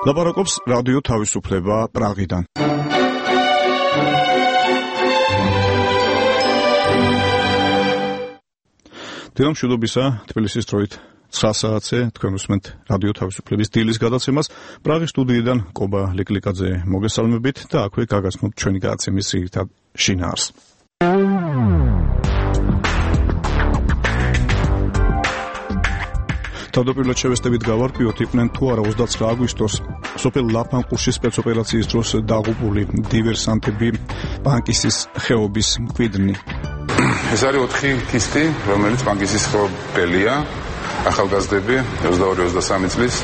ლაპარაკობს რადიო თავისუფლება პრაღიდან. დილამშვიდობისა, თბილისის დროით 9 საათზე თქვენ უსმენთ რადიო თავისუფლების დილის გადაცემას. პრაღის სტუდიიდან კობა ლიკლიკაძე მოგესალმებით და აქვე გაგაცნობთ ჩვენი გადაცემის ძირითად შინაარს. თავდაპირველად შევესწრებით გავარკვიოთ, იყვნენ თუ არა 29 აგვისტოს სოფელ ლაფანყურში სპეცოპერაციის დროს დაღუპული დივერსანტები პანკისის ხეობის მკვიდრნი. ეს არის 4 ქისტი, რომელიც პანკისის ხეობელია, ახალგაზრდები 22-23 წლის.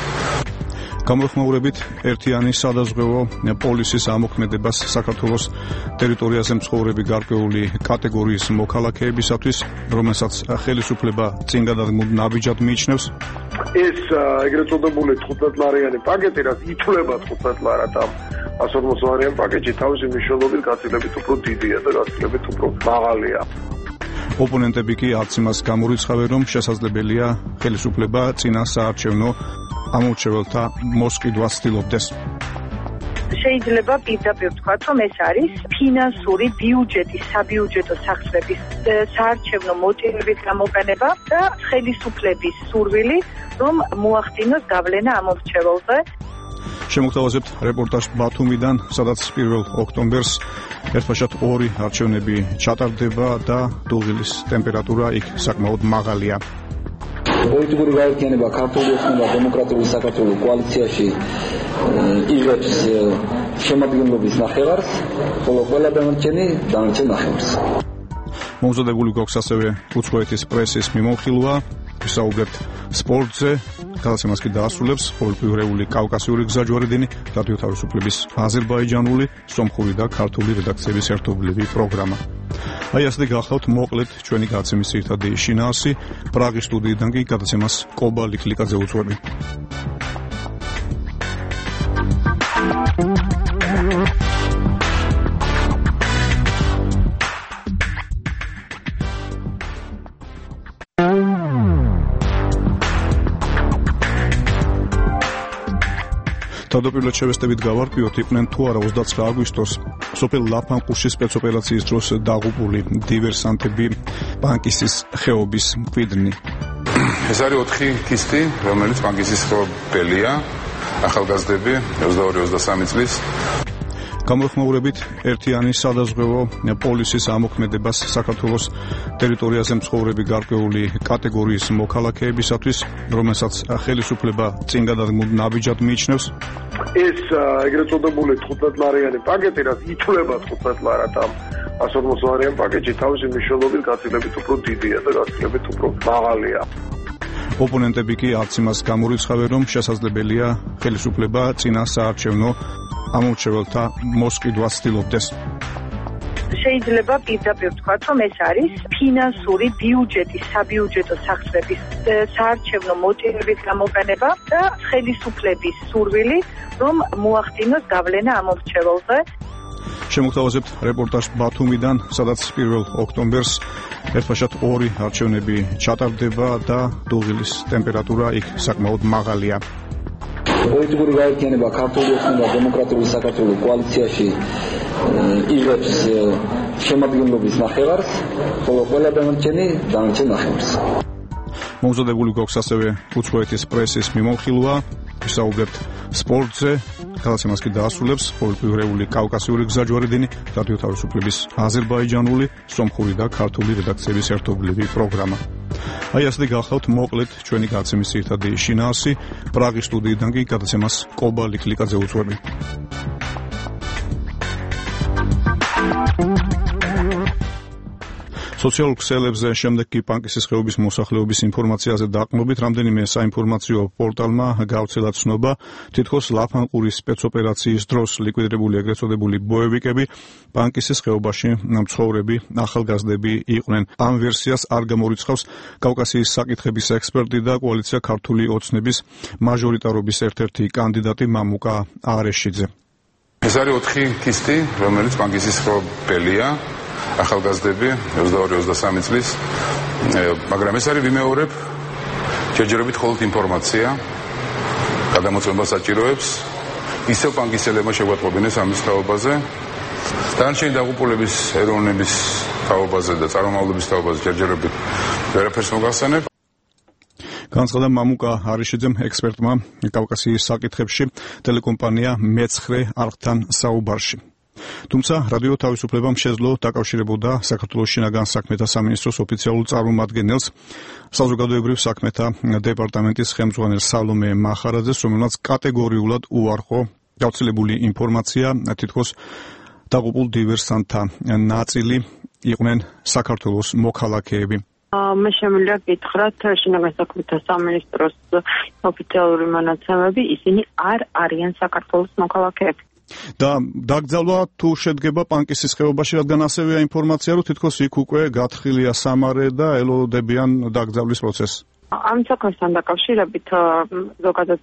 გამოხმაურებით ერთიანი სადაზღვევო პოლისის ამოქმედებას საქართველოს ტერიტორიაზე მცხოვრები გარკვეული კატეგორიის მოქალაქეებისათვის, რომელსაც ხელისუფლება წინგადადგმულ ნაბიჯად მიიჩნევს. ეს ეგრეთ წოდებული 15 ლარიანი პაკეტი, რაც ითვლება 15 ლარად ამ 140 ლარიან პაკეტი, თავისი მნიშვნელობით გაცილებით უფრო დიდია და გაცილებით უფრო მაღალია. ოპონენტები კი არც იმას გამორიცხავენ, რომ შესაძლებელია ხელისუფლება წინა საარჩევნო ამორჩეველთა მოსყიდვას ცდილობდეს. შეიძლება პირდაპირ ვთქვათ, რომ ეს არის ფინანსური ბიუჯეტის, საბიუჯეტო სახსრების საარჩევნო მოტივებით გამოყენება და ხელისუფლების სურვილი, რომ მოახდინოს გავლენა ამორჩეველზე. შემოგთავაზებთ რეპორტაჟ ბათუმიდან, სადაც 1 ოქტომბერს ერთბაშად 2 არჩევნები ჩატარდება და დუღილის ტემპერატურა იქ საკმაოდ მაღალია. პოლიტიკური გაერთიანება ქართული ეთნობა დემოკრატიული საქართველოს კოალიციაში იღებს შემადგენლობის ნახევარს, ხოლო ყველა დანარჩენი ნახევარს. მომზადებული გვაქვს ასევე უცხოეთის პრესის მიმოხილვა, ვისაუბრებთ სპორტზე, გადაცემას კი დაასრულებს პოლიტიკურეული კავკასიური გზაჯვარედინი, რადიო თავისუფლების აზერბაიჯანული, სომხური და ქართული რედაქციების ერთობლივი პროგრამა. აი ასე გახლავთ მოკლედ ჩვენი გადაცემის ძირითადი შინაარსი. პრაღის სტუდიიდან კი გადაცემას კობა ლიკლიკაძე უძღვები. თავდაპირველად შევესწრებით გავარკვიოთ, იყვნენ თუ არა 29 აგვისტოს სოფელ ლაფანყურში სპეცოპერაციის დროს დაღუპული დივერსანტები პანკისის ხეობის მკვიდრნი. ეს არის 4 ქისტი, რომელიც პანკისის ხეობელია, ახალგაზრდები 22-23 წლის. გამოხმაურებით ერთიანი სადაზღვევო პოლისის ამოქმედებას საქართველოს ტერიტორიაზე მცხოვრები გარკვეული კატეგორიის მოქალაქეებისათვის, რომელსაც ხელისუფლება წინგადადგმულ ნაბიჯად მიიჩნევს. ეს ეგრეთ წოდებული 15 ლარიანი პაკეტი, რაც ითვლება 15 ლარად ამ 140 ლარიან პაკეტი, თავისი მნიშვნელობით გაცილებით უფრო დიდია და გაცილებით უფრო მაღალია. ოპონენტები კი არც იმას გამორიცხავენ, რომ შესაძლებელია ხელისუფლება წინა საარჩევნო ამორჩეველთა მოსყიდვას ცდილობდეს. შეიძლება პირდაპირ ვთქვათ, რომ ეს არის ფინანსური ბიუჯეტის, საბიუჯეტო სახსრების საარჩევნო მოტივებით გამოყენება და ხელისუფლების სურვილი, რომ მოახდინოს გავლენა ამორჩეველზე. შემოგთავაზებთ რეპორტაჟ ბათუმიდან, სადაც 1 ოქტომბერს ერთბაშად 2 არჩევნები ჩატარდება და დუღილის ტემპერატურა იქ საკმაოდ მაღალია. პოლიტიკური გაერთიანება ქართული ეთნობა დემოკრატიული საქართველოს კოალიციაში იღებს შემადგენლობის ნახევარს, ხოლო ყველა დანარჩენი ნახევარს. მომზადებული გვაქვს ასევე უცხოეთის პრესის მიმოხილვა, ვისაუბრებთ სპორტზე, გადაცემას კი დაასრულებს პოლიტიკურეული კავკასიური გზაჯვარედინი, რადიო თავისუფლების აზერბაიჯანული, სომხური და ქართული რედაქციების ერთობლივი პროგრამა. აი ასე გახლავთ მოკლედ ჩვენი გადაცემის ძირითადი შინაარსი. პრაღის სტუდიიდან კი გადაცემას კობა ლიკლიკაძე უძღვები. სოციალურ ქსელებზე შემდეგ კი პანკისის ხეობის მოსახლეობის ინფორმაციაზე დაყრდნობით, რამდენიმე საინფორმაციო პორტალმა გავრცელა ცნობა, თითქოს ლაფანყურის სპეცოპერაციის დროს ლიკვიდირებული ეგრეთ წოდებული ბოევიკები პანკისის ხეობაში მცხოვრები ახალგაზრდები იყვნენ. ამ ვერსიას არ გამორიცხავს კავკასიის საკითხების ექსპერტი და კოალიცია ქართული ოცნების მაჟორიტარობის ერთ-ერთი კანდიდატი მამუკა არეშიძე. ეს არის 4 ქისტი, რომელიც პანკისის ხეობელია, ახალგაზრდები 22-23 წლის, მაგრამ ეს არის ვიმეორებ ჯერჯერობით მხოლოდ ინფორმაცია, გადამოწმება საჭიროებს ისევ პანკისელებმა შეგვატყობინეს ამის თაობაზე. დანარჩენი დაღუპულების ეროვნების თაობაზე და წარმომავლობის თაობაზე ჯერჯერობით ვერაფერს მოგახსენებ. განცხადა მამუკა არიშიძემ ექსპერტმა კავკასიის საკითხებში ტელეკომპანია მეცხრე არხთან საუბარში. თუმცა რადიო თავისუფლებამ შეძლო დაკავშირებოდა საქართველოს შინაგან საქმეთა სამინისტროს ოფიციალურ წარმომადგენელს, საზოგადოებრივ საქმეთა დეპარტამენტის ხელმძღვანელ სალომე მახარაძეს, რომელმაც კატეგორიულად უარყო გავრცელებული ინფორმაცია, თითქოს დაღუპულ დივერსანტთა ნაწილი იყვნენ საქართველოს მოქალაქეები. მე შემიძლია გითხრათ შინაგან საქმეთა სამინისტროს ოფიციალური მონაცემები, ისინი არ არიან საქართველოს მოქალაქეები. და დაკრძალვა თუ შედგება პანკისის ხეობაში, რადგან ასევეა ინფორმაცია, რომ თითქოს იქ უკვე გათხილია სამარე და ელოდებიან დაკრძალვის პროცესს. ამ საქმესთან დაკავშირებით ზოგადად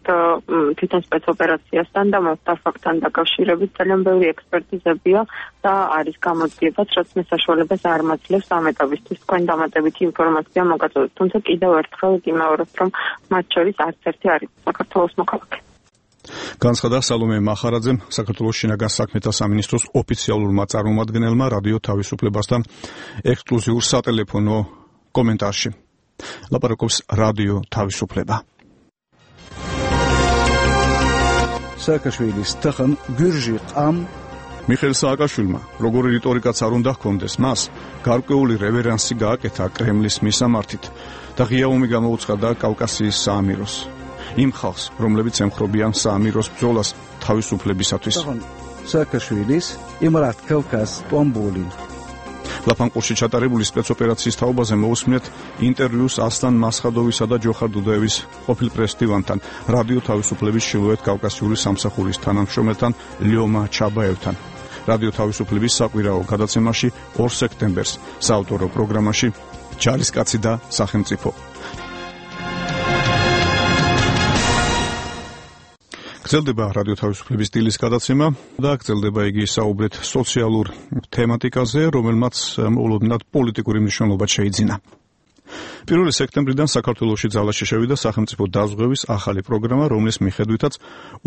თვითონ სპეცოპერაციასთან და მოსდარ ფაქტთან დაკავშირებით ძალიან ბევრი ექსპერტიზებია და არის გამოძიებაც, რაც მე საშუალებას არ მაძლევს ამ ეტაპისთვის თქვენ დამატებითი ინფორმაცია მოგაწოდოთ. თუმცა კიდევ ერთხელ გიმეორებ, რომ მათ შორის არც ერთი არის საქართველოს მოქალაქე. განცხადა სალომე მახარაძემ საქართველოს შინაგან საქმეთა სამინისტროს ოფიციალურმა წარმომადგენელმა რადიო თავისუფლებასთან ექსკლუზიურ სატელეფონო კომენტარში. ლაპარაკობს რადიო თავისუფლება. სააკაშვილის თხან გურჟი ყამ მიხეილ სააკაშვილმა როგორი რიტორიკაც არ უნდა ჰქონდეს, მას გარკვეული რევერანსი გააკეთა კრემლის მისამართით და ღია ომი გამოუცხადა კავკასიის საამიროს. იმ ხალხს, რომლებიც ემხრობიან საამიროს ბრძოლას თავისუფლებისათვის. სააკაშვილის იმრათ კავკას ტომბული. ლაფანყურში ჩატარებული სპეცოპერაციის თაობაზე მოусმინეთ ინტერვიუს ასლან მასხადოვისა და ჯოხარ დუდაევის ყოფილ პრესდივანთან, რადიო თავისუფლების ჩრდილოეთ კავკასიური სამსახურის თანამშრომელთან ლიომა ჩაბაევთან. რადიო თავისუფლების საკვირაო გადაცემაში 2 სექტემბერს საავტორო პროგრამაში ჯარისკაცი და სახელმწიფო. გრძელდება რადიო თავისუფლების სტილის გადაცემა და გრძელდება იგი საუბრით სოციალურ თემატიკაზე, რომელმაც მოულოდნელად პოლიტიკური მნიშვნელობა შეიძინა. 1 სექტემბრიდან საქართველოში ძალაში შევიდა სახელმწიფო დაზღვევის ახალი პროგრამა, რომლის მიხედვითაც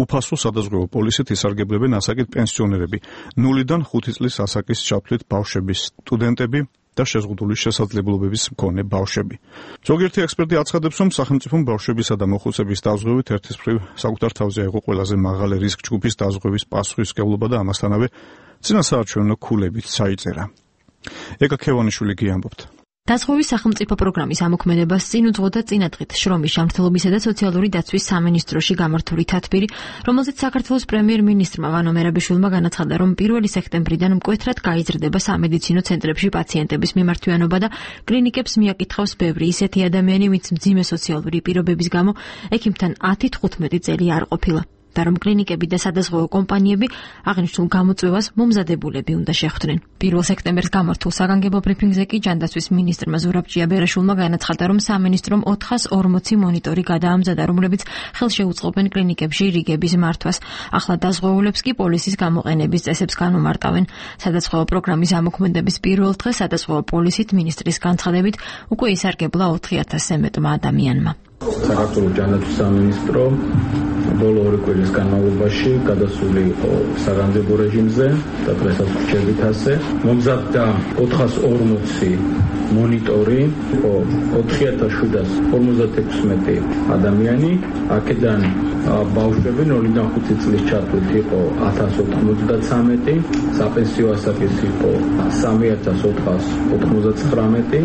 უფასო სადაზღვევო პოლისით ისარგებლებენ ასაკით პენსიონერები, 0-დან 5 წლის ასაკის ჩათვლით ბავშვები, სტუდენტები და შეზღუდული შესაძლებლობების მქონე ბავშვები. ზოგიერთი ექსპერტი აცხადებს, რომ სახელმწიფომ ბავშვებისა და მოხუცების დაზღვევით ერთის მხრივ საკუთარ თავზე აიღო ყველაზე მაღალი რისკ ჯგუფის დაზღვევის პასუხისმგებლობა და ამასთანავე წინასაარჩევნო ქულებით ჩაიწერა. ეკა ქევანიშვილი გიამბობთ. დაზღვევის სახელმწიფო პროგრამის ამოქმედებას წინ უძღოდა წინადღით შრომის ჯანმრთელობისა და სოციალური დაცვის სამინისტროში გამართული თათბირი, რომელზეც საქართველოს პრემიერ-მინისტრმა ვანო მერაბიშვილმა განაცხადა, რომ 1 სექტემბრიდან მკვეთრად გაიზრდება სამედიცინო ცენტრებში პაციენტების მიმართვიანობა და კლინიკებს მიაკითხავს ბევრი ისეთი ადამიანი, ვინც მძიმე სოციალური პირობების გამო ექიმთან 10-15 წელი არ ყოფილა. და რომ კლინიკები და სადაზღვევო კომპანიები აღნიშნულ გამოწვევას მომზადებულები უნდა შეხვდნენ. 1 სექტემბერს გამართულ საგანგებო ბრიფინგზე კი ჯანდაცვის მინისტრმა ზურაბ ჭიაბერაშვილმა განაცხადა, რომ სამინისტრომ 440 მონიტორი გადაამზადა, რომლებიც ხელშეუწყობენ კლინიკებში რიგების მართვას. ახლა დაზღვეულებს კი პოლისის გამოყენების წესებს განუმარტავენ. სადაზღვევო პროგრამის ამოქმედების პირველ დღეს სადაზღვევო პოლისით მინისტრის განცხადებით უკვე ისარგებლა 4000-ზე მეტმა ადამიანმა. საქართველოს ჯანდაცვის სამინისტრო ბოლო 2 კვირის განმავლობაში გადასული იყო საგანგებო რეჟიმზე და დღესაც რჩებით ასე. მომზადდა 440 მონიტორი, იყო 4756 ადამიანი, აქედან ბავშვები 0-დან 5 წლის ჩათვლით იყო 1093, საპენსიო ასაკის იყო 3499,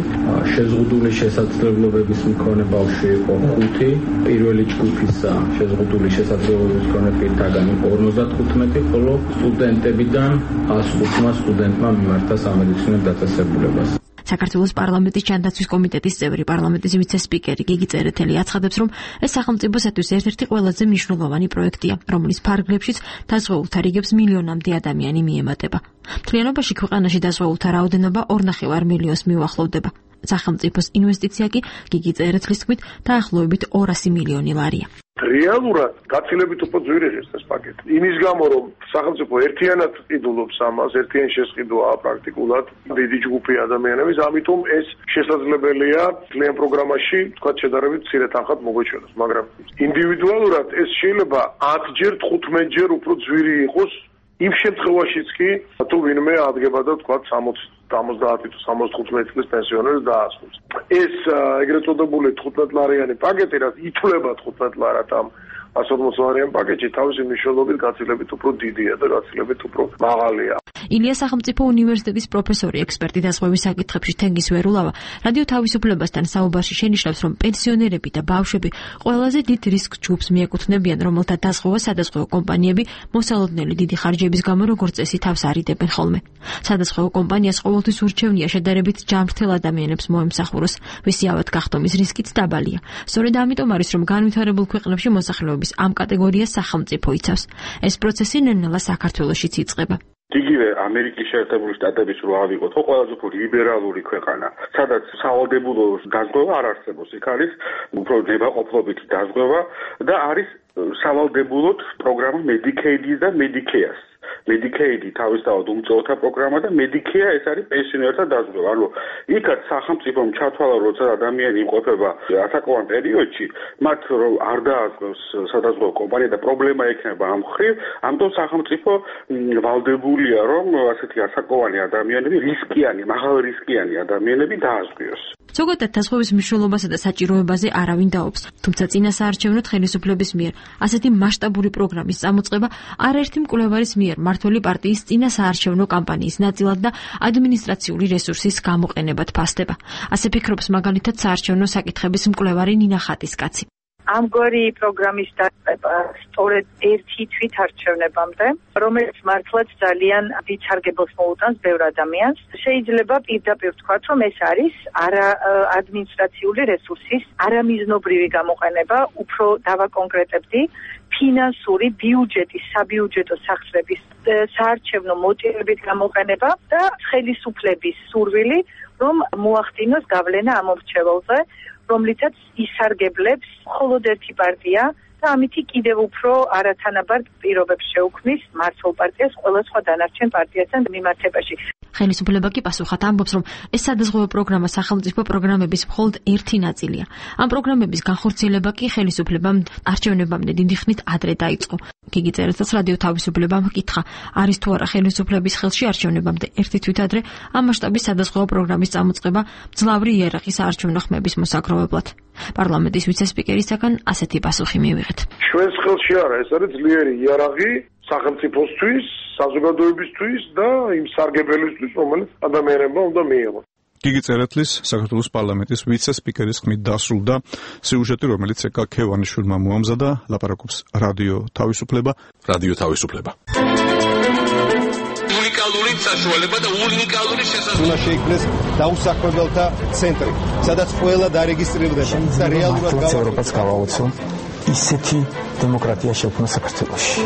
შეზღუდული შესაძლებლობების მქონე ბავშვი იყო 5, პირველი ჯგუფისა შეზღუდული შესაძლებლობების მქონე პირთაგან იყო 55, ხოლო სტუდენტებიდან 105 სტუდენტმა მიმართა სამედიცინო დაწესებულებას. საქართველოს პარლამენტის ჯანდაცვის კომიტეტის წევრი, პარლამენტის ვიცე-სპიკერი გიგი წერეთელი აცხადებს, რომ ეს სახელმწიფოსათვის ერთ-ერთი ყველაზე მნიშვნელოვანი პროექტია, რომლის ფარგლებშიც დაზღვეულთა რიგებს მილიონამდე ადამიანი მიემატება. მთლიანობაში ქვეყანაში დაზღვეულთა რაოდენობა 2,5 მილიონს მიუახლოვდება. სახელმწიფოს ინვესტიცია კი გიგი წერეთლის თქმით დაახლოებით 200 მილიონი ლარია. რეალურად გაცილებით უფრო ძვირი ღირს ეს პაკეტი. იმის გამო რომ სახელმწიფო ერთიანად ყიდულობს ამას, ერთიანი შესყიდვაა პრაქტიკულად დიდი ჯგუფი ადამიანების, ამიტომ ეს შესაძლებელია ძალიან პროგრამაში, თქვა შედარებით მცირე თანხად მოგვეჩვენოს, მაგრამ ინდივიდუალურად ეს შეიძლება 10-ჯერ, 15-ჯერ უფრო ძვირი იყოს იმ შემთხვევაშიც კი, თუ ვინმე ადგება და თქვა 70 თუ 75 წლის პენსიონერს დაასრულებს. ეს ეგრეთ წოდებული 15 ლარიანი პაკეტი, რაც ითვლება 15 ლარად ამ 140 ლარიან პაკეტში, თავისი მნიშვნელობით გაცილებით უფრო დიდია და გაცილებით უფრო მაღალია. ილია სახელმწიფო უნივერსიტეტის პროფესორი, ექსპერტი დაზღვევის საკითხებში თენგის ვერულავა რადიო თავისუფლებასთან საუბარში შენიშნავს, რომ პენსიონერები და ბავშვები ყველაზე დიდ რისკ ჯგუფს მიეკუთვნებიან, რომელთა დაზღვევა სადაზღვევო კომპანიები მოსალოდნელი დიდი ხარჯების გამო როგორც წესი თავს არიდებენ ხოლმე. სადაზღვევო კომპანიას ყოველთვის ურჩევნია შედარებით ჯანმრთელ ადამიანებს მოემსახუროს, ვისი ავად გახდომის რისკიც დაბალია. სწორედ ამიტომ არის, რომ განვითარებულ ქვეყნებში მოსახლეობის ამ კატეგორიას სახელმწიფო იცავს. ეს პროცესი ნელ-ნელა საქართველოშიც იწყება. იგივე ამერიკის შეერთებული შტატების რო ავიღოთ, ხო ყველაზე უფრო ლიბერალური ქვეყანა, სადაც სავალდებულო დაზღვევა არ არსებობს, იქ არის უფრო ნებაყოფლობითი დაზღვევა და არის სავალდებულოდ პროგრამა Medicaid და Medicare. Medicaid თავისთავად უმწოთა პროგრამა და Medicare ეს არის პენსიონერთა დაზღვევა. ანუ იქაც სახელმწიფომ ჩათვალა, როცა ადამიანი იმყოფება ასაკოვან პერიოდში, მათ რომ არ დააზღვევს სადაზღვევო კომპანია და პრობლემა ექნება ამ მხრივ, ამიტომ სახელმწიფო ვალდებულია, რომ ასეთი ასაკოვანი ადამიანები, მაღალ რისკიანი ადამიანები დააზღვიოს. ზოგადად დაზღვევის მნიშვნელობასა და საჭიროებაზე არავინ დაობს, თუმცა წინასაარჩევნოდ ხელისუფლების მიერ ასეთი მასშტაბური პროგრამის წამოწყება არაერთი მკვლევარის მიერ მმართველი პარტიის წინასაარჩევნო კამპანიის ნაწილად და ადმინისტრაციული რესურსის გამოყენებად ფასდება. ასე ფიქრობს მაგალითად საარჩევნო საკითხების მკვლევარი ნინა ხატისკაცი. ამგვარი პროგრამის დაწყება სწორედ ერთი თვითარჩევნებამდე, რომელიც მართლაც ძალიან დიდ სარგებელს მოუტანს ბევრ ადამიანს. შეიძლება პირდაპირ ვთქვათ, რომ ეს არის არა ადმინისტრაციული რესურსის არამიზნობრივი გამოყენება, უფრო დავაკონკრეტებდი, ფინანსური ბიუჯეტის, საბიუჯეტო სახსრების საარჩევნო მოტივებით გამოყენება და ხელისუფლების სურვილი, რომ მოახდინოს გავლენა ამ მომრჩეველზე, რომლითაც ისარგებლებს მხოლოდ ერთი პარტია და ამითი კიდევ უფრო არათანაბარ პირობებს შეუქმნის მართლ პარტიას ყველა სხვა დანარჩენ პარტიასთან მიმართებაში. ხელისუფლება კი პასუხად ამბობს, რომ ეს სადაზღვევო პროგრამა სახელმწიფო პროგრამების მხოლოდ ერთი ნაწილია. ამ პროგრამების განხორციელება კი ხელისუფლებამ არჩევნებამდე დიდი ხნით ადრე დაიწყო. გიგი წერეთელს რადიო თავისუფლებამ ჰკითხა, არის თუ არა ხელისუფლების ხელში არჩევნებამდე ერთი თვით ადრე ამ მასშტაბის სადაზღვევო პროგრამის წამოწყება მძლავრი იარაღის საარჩევნო ხმების მოსაგროვებლად. პარლამენტის ვიცე-სპიკერისაგან ასეთი პასუხი მივიღეთ. ჩვენს ხელში არა, ეს არის ძლიერი იარაღი სახელმწიფოსთვის, საზოგადოებისთვის და იმ სარგებელისთვის, რომელიც ადამიანებმა უნდა მიიღოს. გიგი წერეთლის საქართველოს პარლამენტის ვიცე-სპიკერის ხმით დასრულდა სიუჟეტი, რომელიც ეკა ქევანიშვილმა მოამზადა, ლაპარაკობს რადიო თავისუფლება. უნიკალური საშუალება და უნიკალური შესაძლებლობა შეიქმნეს დაუსახლებელთა ცენტრი, სადაც ყველა დარეგისტრირდება და რეალურად ევროპას გავაოცო ისეთი დემოკრატია შექმნა საქართველოში.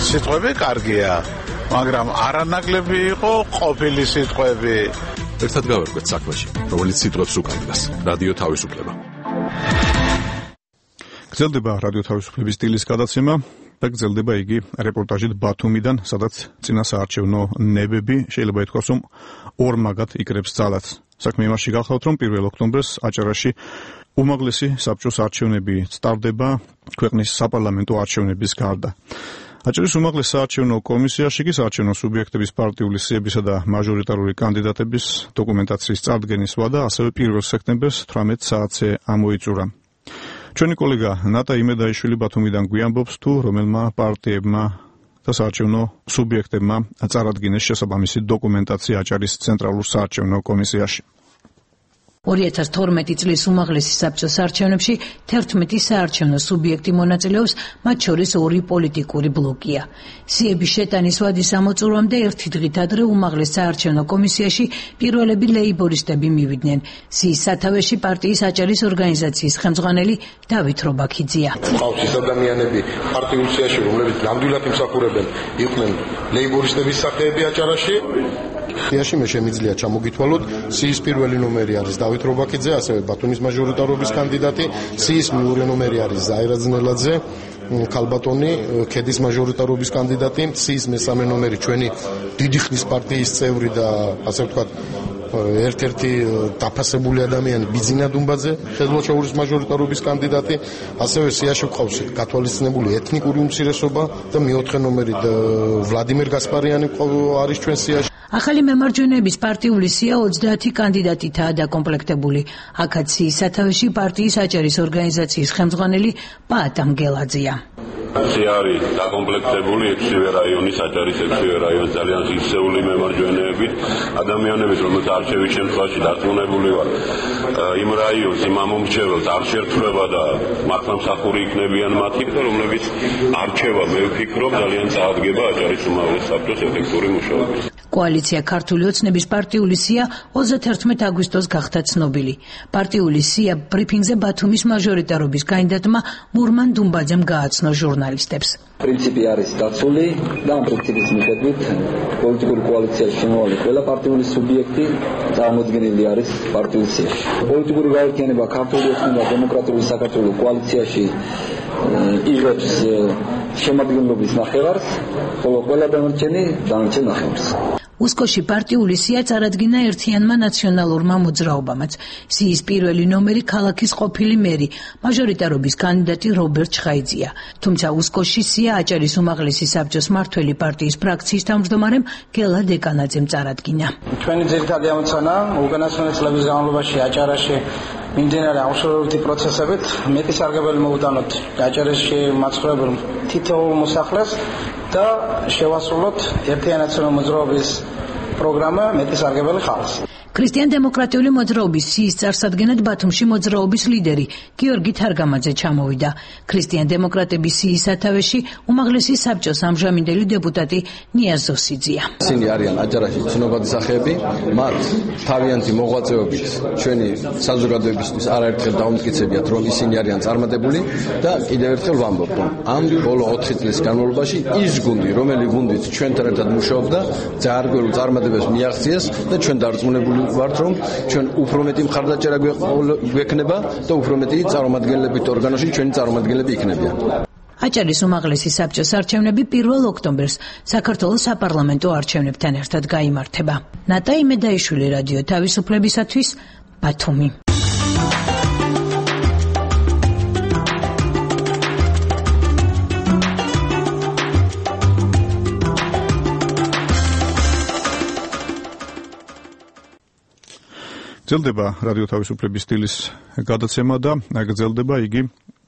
სიტყვები კარგია, მაგრამ არანაკლები იყო ყოფილი სიტყვები. ერთად გავერკვეთ საქმეში, რომელიც სიტყვებს უკავშირდება. რადიო თავისუფლება. გრძელდება რადიო თავისუფლების სტილის გადაცემა და გრძელდება იგი რეპორტაჟით ბათუმიდან, სადაც წინასაარჩევნო ნებები შეიძლება ითქვას, რომ ორმაგად იკრებს ძალას. საქმე იმაში გახლავთ, რომ 1 ოქტომბერს აჭარაში უმაღლესი საბჭოს არჩევნები სტარდება ქვეყნის საპარლამენტო არჩევნების გარდა. აჭარის უმაღლეს საარჩევნო კომისიაში კი საარჩევნო სუბიექტების პარტიული სიებისა და მაჟორიტარული კანდიდატების დოკუმენტაციის წარდგენის ვადა ასევე 1 სექტემბერს 18 საათზე ამოიწურა. ჩვენი კოლეგა ნატა იმედაიშვილი ბათუმიდან გვიამბობს, თუ რომელმა პარტიებმა და საარჩევნო სუბიექტებმა წარადგინეს შესაბამისი დოკუმენტაცია აჭარის ცენტრალურ საარჩევნო კომისიაში. 2012 წლის უმაღლესი საბჭოს არჩევნებში 11 საარჩევნო სუბიექტი მონაწილეობს, მათ შორის 2 პოლიტიკური ბლოკია. სიების შეტანის ვადის ამოწურვამდე ერთი დღით ადრე უმაღლეს საარჩევნო კომისიაში პირველები ლეიბორისტები მივიდნენ. სიის სათავეში პარტიის აჭარის ორგანიზაციის ხელმძღვანელი დავით რობაქიძეა. ყავს ის ადამიანები პარტიულ სიაში, რომლებიც ნამდვილად იმსახურებენ იყვნენ ლეიბორისტების სახეები აჭარაში. სიაში მე შემიძლია ჩამოგითვალოთ სიის პირველი ნომერი არის დავით რობაქიძე, ასევე ბათუმის მაჟორიტარობის კანდიდატი, სიის მეორე ნომერი არის ზაირა ძნელაძე, ქალბატონი, ქედის მაჟორიტარობის კანდიდატი, სიის მესამე ნომერი ჩვენი დიდი ხნის პარტიის წევრი და ასე ვთქვათ ერთ-ერთი დაფასებული ადამიანი ბიძინა დუმბაძე, ხელმოჩაურის მაჟორიტარობის კანდიდატი, ასევე სიაში გვყავს გათვალისწინებული ეთნიკური უმცირესობა და მეოთხე ნომერი ვლადიმერ გასპარიანი არის ჩვენ სიაში. ახალი მემარჯვენეების პარტიული სია 30 კანდიდატითაა დაკომპლექტებული. აქაც სიის სათავეში პარტიის აჭარის ორგანიზაციის ხელმძღვანელი პაატამ გელაძია. სია არის დაკომპლექტებული 6 რაიონის, აჭარის 6 რაიონის ძალიან ღირსეული მემარჯვენეებით, ადამიანებით, რომელთა არჩევის შემთხვევაში დარწმუნებული ვარ, იმ რაიონს, იმ ამომრჩეველს არ შეერთება და მართლმსახური იქნებიან მათი, რომლებიც არჩევა, მე ვფიქრობ, ძალიან წაადგება აჭარის უმაღლეს საბჭოს ეფექტური მუშაობის. კოალიცია ქართული ოცნების პარტიული სია 31 აგვისტოს გახდა ცნობილი. პარტიული სია ბრიფინგზე ბათუმის მაჟორიტარობის კანდიდატმა მურმან დუმბაძემ გააცნო ჟურნალისტებს. პრინციპი არის დაცული და ამ პრინციპის მიხედვით პოლიტიკური კოალიციაში შემოვალი ყველა პარტიული სუბიექტი წარმოდგენილი არის პარტიულ სიაში. პოლიტიკური გაერთიანება ქართული ოცნება დემოკრატიული საქართველოს კოალიციაში იღებს შემადგენლობის ნახევარს, ხოლო ყველა დანარჩენი ნახევარს. უსკოში პარტიული სია წარადგინა ერთიანმა ნაციონალურმა მოძრაობამაც. სიის პირველი ნომერი ქალაქის ყოფილი მერი, მაჟორიტარობის კანდიდატი რობერტ ჩხაიძეა. თუმცა უსკოში სია აჭარის უმაღლესი საბჭოს მართველი პარტიის ფრაქციის თავმჯდომარემ გელა დეკანაძემ წარადგინა. ჩვენი ძირითადი ამოცანა უკანასკნელი წლების განმავლობაში აჭარაში მიმდინარე აღშორებითი პროცესებით მეტი სარგებელი მოვუტანოთ აჭარაში მაცხოვრებელ თითოეულ მოსახლეს და შევასრულოთ ერთიანაციონალური მოძრაობის პროგრამა მეტი სარგებელი ხალხს. ქრისტიან-დემოკრატიული მოძრაობის სიის წარსადგენად ბათუმში მოძრაობის ლიდერი გიორგი თარგამაძე ჩამოვიდა. ქრისტიან-დემოკრატების სიის სათავეში უმაღლესი საბჭოს ამჟამინდელი დეპუტატი ნიაზ ზოსიძეა. ისინი არიან აჭარაში ცნობადი სახეები, მათ თავიანთი მოღვაწეობით ჩვენი საზოგადოებისთვის არაერთხელ დაუმტკიცებიათ, რომ ისინი არიან წარმატებული და კიდევ ერთხელ ვამბობ, რომ ამ ბოლო 4 წლის განმავლობაში ის გუნდი, რომელიც გუნდით ჩვენთან ერთად მუშაობდა, ძალიან გველო წარმატებებს მიაღწიეს და ჩვენ დარწმუნებული ვართ, რომ ჩვენ უფრო მეტი მხარდაჭერა გვექნება და უფრო მეტი წარმომადგენლებით ორგანოში ჩვენი წარმომადგენლები იქნებიან. აჭარის უმაღლესი საბჭოს არჩევნები 1 ოქტომბერს საქართველოს საპარლამენტო არჩევნებთან ერთად გაიმართება. ნატა იმედაიშვილი, რადიო თავისუფლებისათვის, ბათუმი. გრძელდება რადიო თავისუფლების სტილის გადაცემა და გრძელდება იგი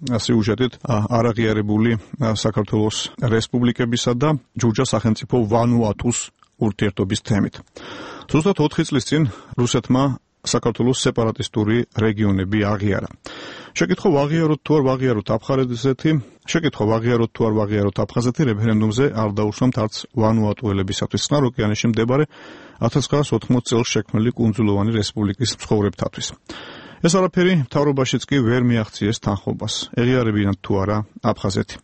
სიუჟეტით არაღიარებული საქართველოს რესპუბლიკებისა და ჯურჯა სახელმწიფო ვანუატუს ურთიერთობის თემით. ზუსტად 4 წლის წინ რუსეთმა საქართველოს სეპარატისტური რეგიონები აღიარა. შეკითხვა ვაღიაროთ თუ არ ვაღიაროთ აფხაზეთი რეფერენდუმზე არ დაუშვამთ არც ვანუატუელებისათვის წყნარ ოკეანეში მდებარე 1980 წელს შექმნილი კუნძულოვანი რესპუბლიკის მცხოვრებთათვის. ეს არაფერი მთავრობაშიც კი ვერ მიაღწიეს თანხმობას. ეღიარებინათ თუ არა აფხაზეთი.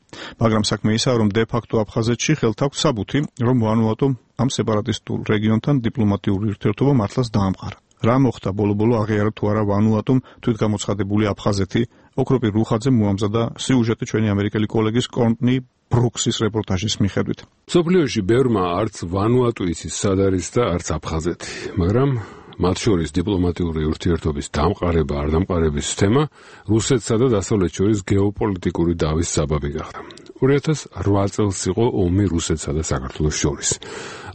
მაგრამ საქმე ისაა, რომ დე-ფაქტო აფხაზეთში ხელთ აქვს საბუთი, რომ ვანუატუმ ამ სეპარატისტულ რეგიონთან დიპლომატიური ურთიერთობა მართლაც დაამყარა. რა მოხდა ბოლო-ბოლო აღიარა თუ არა ვანუატუმ თვითგამოცხადებული აფხაზეთი? ოქროპირ რუხაძემ მოამზადა სიუჟეტი ჩვენი ამერიკელი კოლეგის კორტნი ბრუქსის რეპორტაჟის მიხედვით. სოფლიოში ბევრმა არც ვანუატუ იცის სად არის და არც აფხაზეთი, მაგრამ მათ შორის დიპლომატიური ურთიერთობის დამყარება არ დამყარების თემა რუსეთსა და დასავლეთ შორის გეოპოლიტიკური დავის საბაბი გახდა. 2008 წელს იყო ომი რუსეთსა და საქართველოს შორის.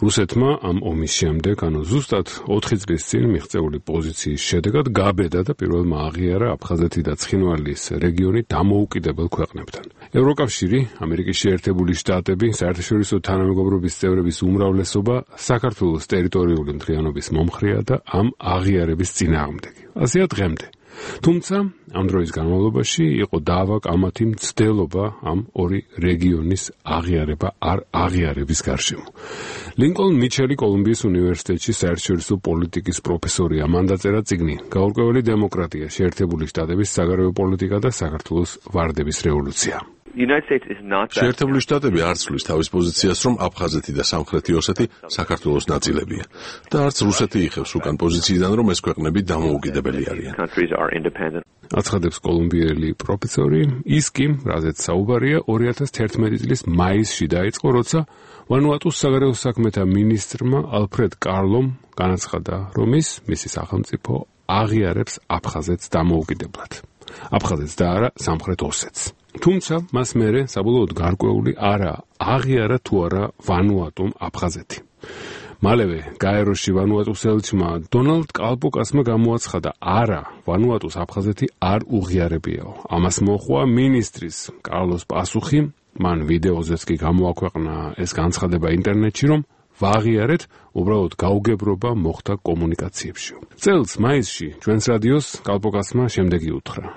რუსეთმა ამ ომის შემდეგ, ზუსტად 4 წლის წინ მიღწეული პოზიციის შედეგად გაბედა და პირველმა აღიარა აფხაზეთი და ცხინვალის რეგიონი დამოუკიდებელ ქვეყნებთან. ევროკავშირი, ამერიკის შეერთებული შტატები, საერთაშორისო თანამეგობრობის წევრების უმრავლესობა საქართველოს ტერიტორიული მთლიანობის მომხრეა და ამ აღიარების წინააღმდეგი. ასეა დღემდე. თუმცა ამ დროის განმავლობაში იყო დავა კამათი მცდელობა ამ ორი რეგიონის აღიარება არ აღიარების გარშემო. ლინკოლნ მიჩელი კოლუმბიის უნივერსიტეტში საერთაშორისო პოლიტიკის პროფესორია, მან დაწერა წიგნი „გაურკვეველი დემოკრატია, შეერთებული შტატების საგარეო პოლიტიკა და საქართველოს ვარდების რევოლუცია“. შეერთებული შტატები არ ცვლის თავის პოზიციას, რომ აფხაზეთი და სამხრეთი ოსეთი საქართველოს ნაწილებია და არც რუსეთი იხევს უკან პოზიციიდან, რომ ეს ქვეყნები დამოუკიდებელი არიან. აცხადებს კოლუმბიელი პროფესორი, ის კი, რაზეც საუბარია, 2011 წლის მაისში დაიწყო, როცა ვანუატუს საგარეო საქმეთა მინისტრმა ალფრედ კარლომ განაცხადა, რომ მისი სახელმწიფო აღიარებს აფხაზეთს დამოუკიდებლად. აფხაზეთს და არა სამხრეთ ოსეთს. თუმცა მას მერე საბოლოოდ გარკვეული არა აღიარა თუ არა ვანუატუმ აფხაზეთი. მალევე გაეროში ვანუატუს ელჩმა დონალდ კალპოკასმა გამოაცხადა, არა, ვანუატუს აფხაზეთი არ უღიარებიაო. ამას მოჰყვა მინისტრის კარლოს პასუხი, მან ვიდეოზეც კი გამოაქვეყნა ეს განცხადება ინტერნეტში, რომ ვაღიარეთ, უბრალოდ გაუგებრობა მოხდა კომუნიკაციებში. წელს მაისში ჩვენს რადიოს კალპოკასმა შემდეგი უთხრა.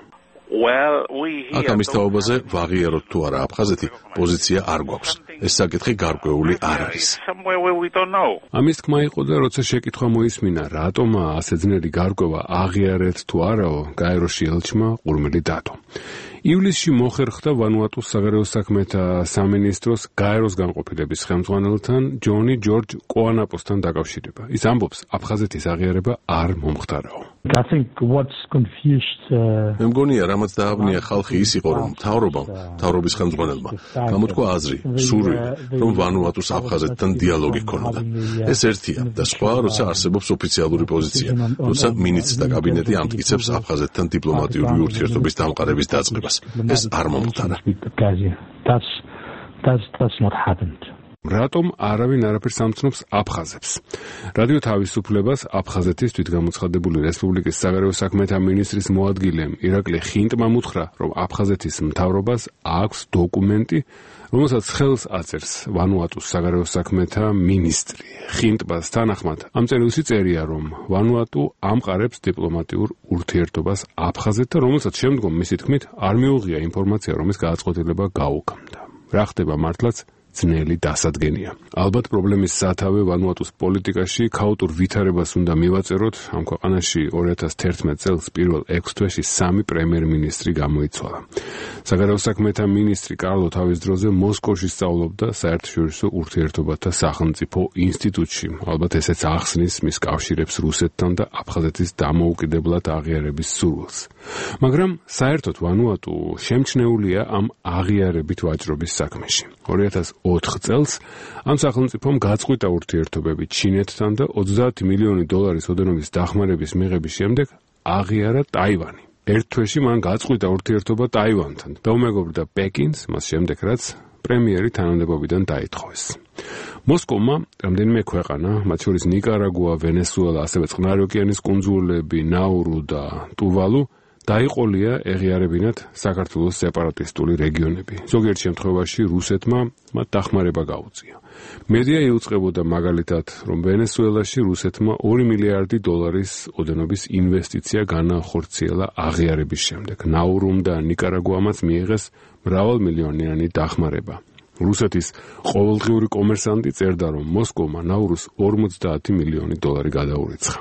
აქ ამის თაობაზე ვაღიაროთ თუ არა აფხაზეთი პოზიცია არ გვაქვს. ეს საკითხი გარკვეული არ არის. ამის თქმა იყო და როცა შეკითხვა მოისმინა, რატომაა ასე ძნელი გარკვევა აღიარეთ თუ არაო, გაეროში ელჩმა ყურმელი დადო. ივლისში მოხერხდა ვანუატუს საგარეო საქმეთა სამინისტროს გაეროს განყოფილების ხელმძღვანელთან ჯონი ჯორჯ კოანაპოსთან დაკავშირება. ის ამბობს, აფხაზეთის აღიარება არ მომხდარაო. მე მგონია, რამაც დააბნია ხალხი ის იყო, რომ მთავრობის ხელმძღვანელმა გამოთქვა აზრი, სურვილი, რომ ვანუატუს აფხაზეთთან დიალოგი ჰქონოდა. ეს ერთია და სხვა, როცა არსებობს ოფიციალური პოზიცია, როცა მინისტრთა კაბინეტი ამტკიცებს აფხაზეთთან დიპლომატიური ურთიერთობის დამყარების დაწყებას. ეს არ მომხდარა. რატომ არავინ არაფერს ამცნობს აფხაზებს? რადიო თავისუფლებას აფხაზეთის თვითგამოცხადებული რესპუბლიკის საგარეო საქმეთა მინისტრის მოადგილემ ირაკლი ხინტმა უთხრა, რომ აფხაზეთის მთავრობას აქვს დოკუმენტი, რომელსაც ხელს აწერს ვანუატუს საგარეო საქმეთა მინისტრი. ხინტბას თანახმად ამ წერილში წერია, რომ ვანუატუ ამყარებს დიპლომატიურ ურთიერთობას აფხაზეთთან, რომელსაც შემდგომ მისი თქმით არ მიუღია ინფორმაცია, რომ ეს გააცხოთილება გაუგამდა. რა ხდება მართლაც? ძნელი დასადგენია. ალბათ პრობლემის სათავე ვანუატუს პოლიტიკაში ქაოტურ ვითარებას უნდა მივაწეროთ. ამ ქვეყანაში 2011 წელს პირველ 6 თვეში 3 პრემიერ-მინისტრი გამოიცვალა. საგარეო საქმეთა მინისტრი კარლო თავის დროზე მოსკოვში სწავლობდა საერთაშორისო ურთიერთობათა სახელმწიფო ინსტიტუტში. ალბათ ესეც ახსნის მის კავშირებს რუსეთთან და აფხაზეთის დამოუკიდებლად აღიარების სურვილს. მაგრამ საერთოდ ვანუატუ შემჩნეულია ამ აღიარებით ვაჭრობის საქმეში. 2004 წელს ამ სახელმწიფომ გაწყვიტა ურთიერთობები ჩინეთთან და 30 მილიონი დოლარის ოდენობის დახმარების მიღების შემდეგ აღიარა ტაივანი. ერთ თვეში მან გაწყვიტა ურთიერთობა ტაივანთან და უმეგობრდა პეკინს, მას შემდეგ რაც პრემიერი თანამდებობიდან დაითხოვეს. მოსკოვმა რამდენიმე ქვეყანა, მათ შორის ნიკარაგუა, ვენესუელა, ასევე წყნარი ოკეანის კუნძულები, ნაურუ და ტუვალუ დაიყოლია ეღიარებინათ საქართველოს სეპარატისტული რეგიონები. ზოგიერთ შემთხვევაში რუსეთმა მათ დახმარება გაუწია. მედია იუწყებოდა მაგალითად, რომ ვენესუელაში რუსეთმა 2 მილიარდი დოლარის ოდენობის ინვესტიცია განახორციელა აღიარების შემდეგ. ნაურუმ და ნიკარაგუამაც მიიღეს მრავალმილიონიანი დახმარება. რუსეთის ყოველდღიური კომერსანტი წერდა, რომ მოსკოვმა ნაურუს 50 მილიონი დოლარი გადაურიცხა.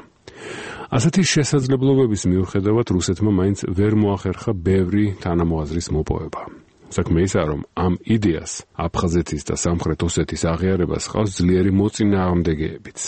ასეთი შესაძლებლობების მიუხედავად რუსეთმა მაინც ვერ მოახერხა ბევრი თანამოაზრის მოპოვება. საქმე ისაა, რომ ამ იდეას აფხაზეთის და სამხრეთ ოსეთის აღიარებას ჰყავს ძლიერი მოწინააღმდეგეებიც.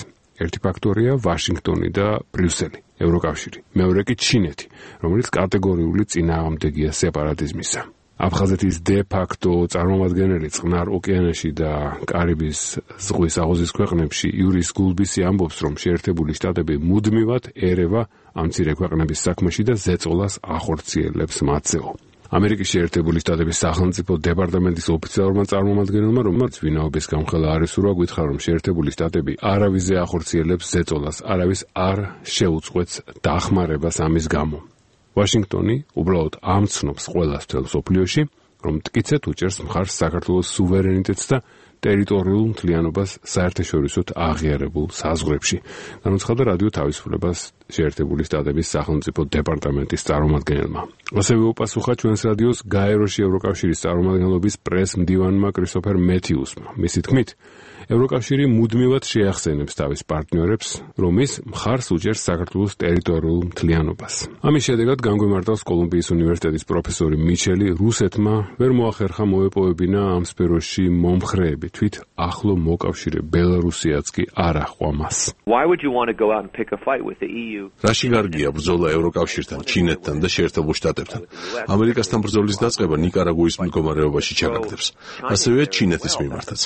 ერთი ფაქტორია ვაშინგტონი და ბრიუსელი, ევროკავშირი, მეორე კი ჩინეთი, რომელიც კატეგორიული წინააღმდეგია სეპარატიზმისა. აფხაზეთის დე-ფაქტო წარმომადგენელი წყნარ ოკეანეში და კარიბის ზღვის აღოზის ქვეყნებში იურის გულბისი ამბობს, რომ შეერთებული შტატები მუდმივად ერევა ამ მცირე ქვეყნების საქმეში და ზეწოლას ახორციელებს მათზეო. ამერიკის შეერთებული შტატების სახელმწიფო დეპარტამენტის ოფიციალურმა წარმომადგენელმა, რომელიც ვინაობის გამხელა არ ისურვა, გითხრა, რომ შეერთებული შტატები არავის ახორციელებს ზეწოლას, არავის არ შეუწყვეტს დახმარებას ამის გამო. ვაშინგტონი უბრალოდ ამცნობს ყველას მთელ მსოფლიოში, რომ მტკიცედ უჭერს მხარს საქართველოს სუვერენიტეტს და ტერიტორიულ მთლიანობას საერთაშორისოდ აღიარებულ საზღვრებში. განაცხადა რადიო თავისუფლებას შეერთებული შტატების სახელმწიფო დეპარტამენტის წარმომადგენელმა. ასევე უპასუხა ჩვენს რადიოს გაეროში ევროკავშირის წარმომადგენლობის პრეს-მდივანმა კრისტოფერ მეთიუსმა. მისი თქმით, ევროკავშირი მუდმივად შეახსენებს თავის პარტნიორებს, რომ ის მხარს უჭერს საქართველოს ტერიტორიულ მთლიანობას. ამის შედეგად განგვიმარტავს კოლუმბიის უნივერსიტეტის პროფესორი მიჩელი, რუსეთმა ვერ მოახერხა მოეპოვებინა ამ სფეროში მომხრეები, თვით ახლო მოკავშირე ბელარუსიაც კი არ აჰყვა მას. რაში გარგია ბრძოლა ევროკავშირთან, ჩინეთთან და შეერთებულ შტატებთან? ამერიკასთან ბრძოლის დაწყება ნიკარაგუის მდგომარეობაში ჩაგაგდებს. ასევე ჩინეთის მიმართაც.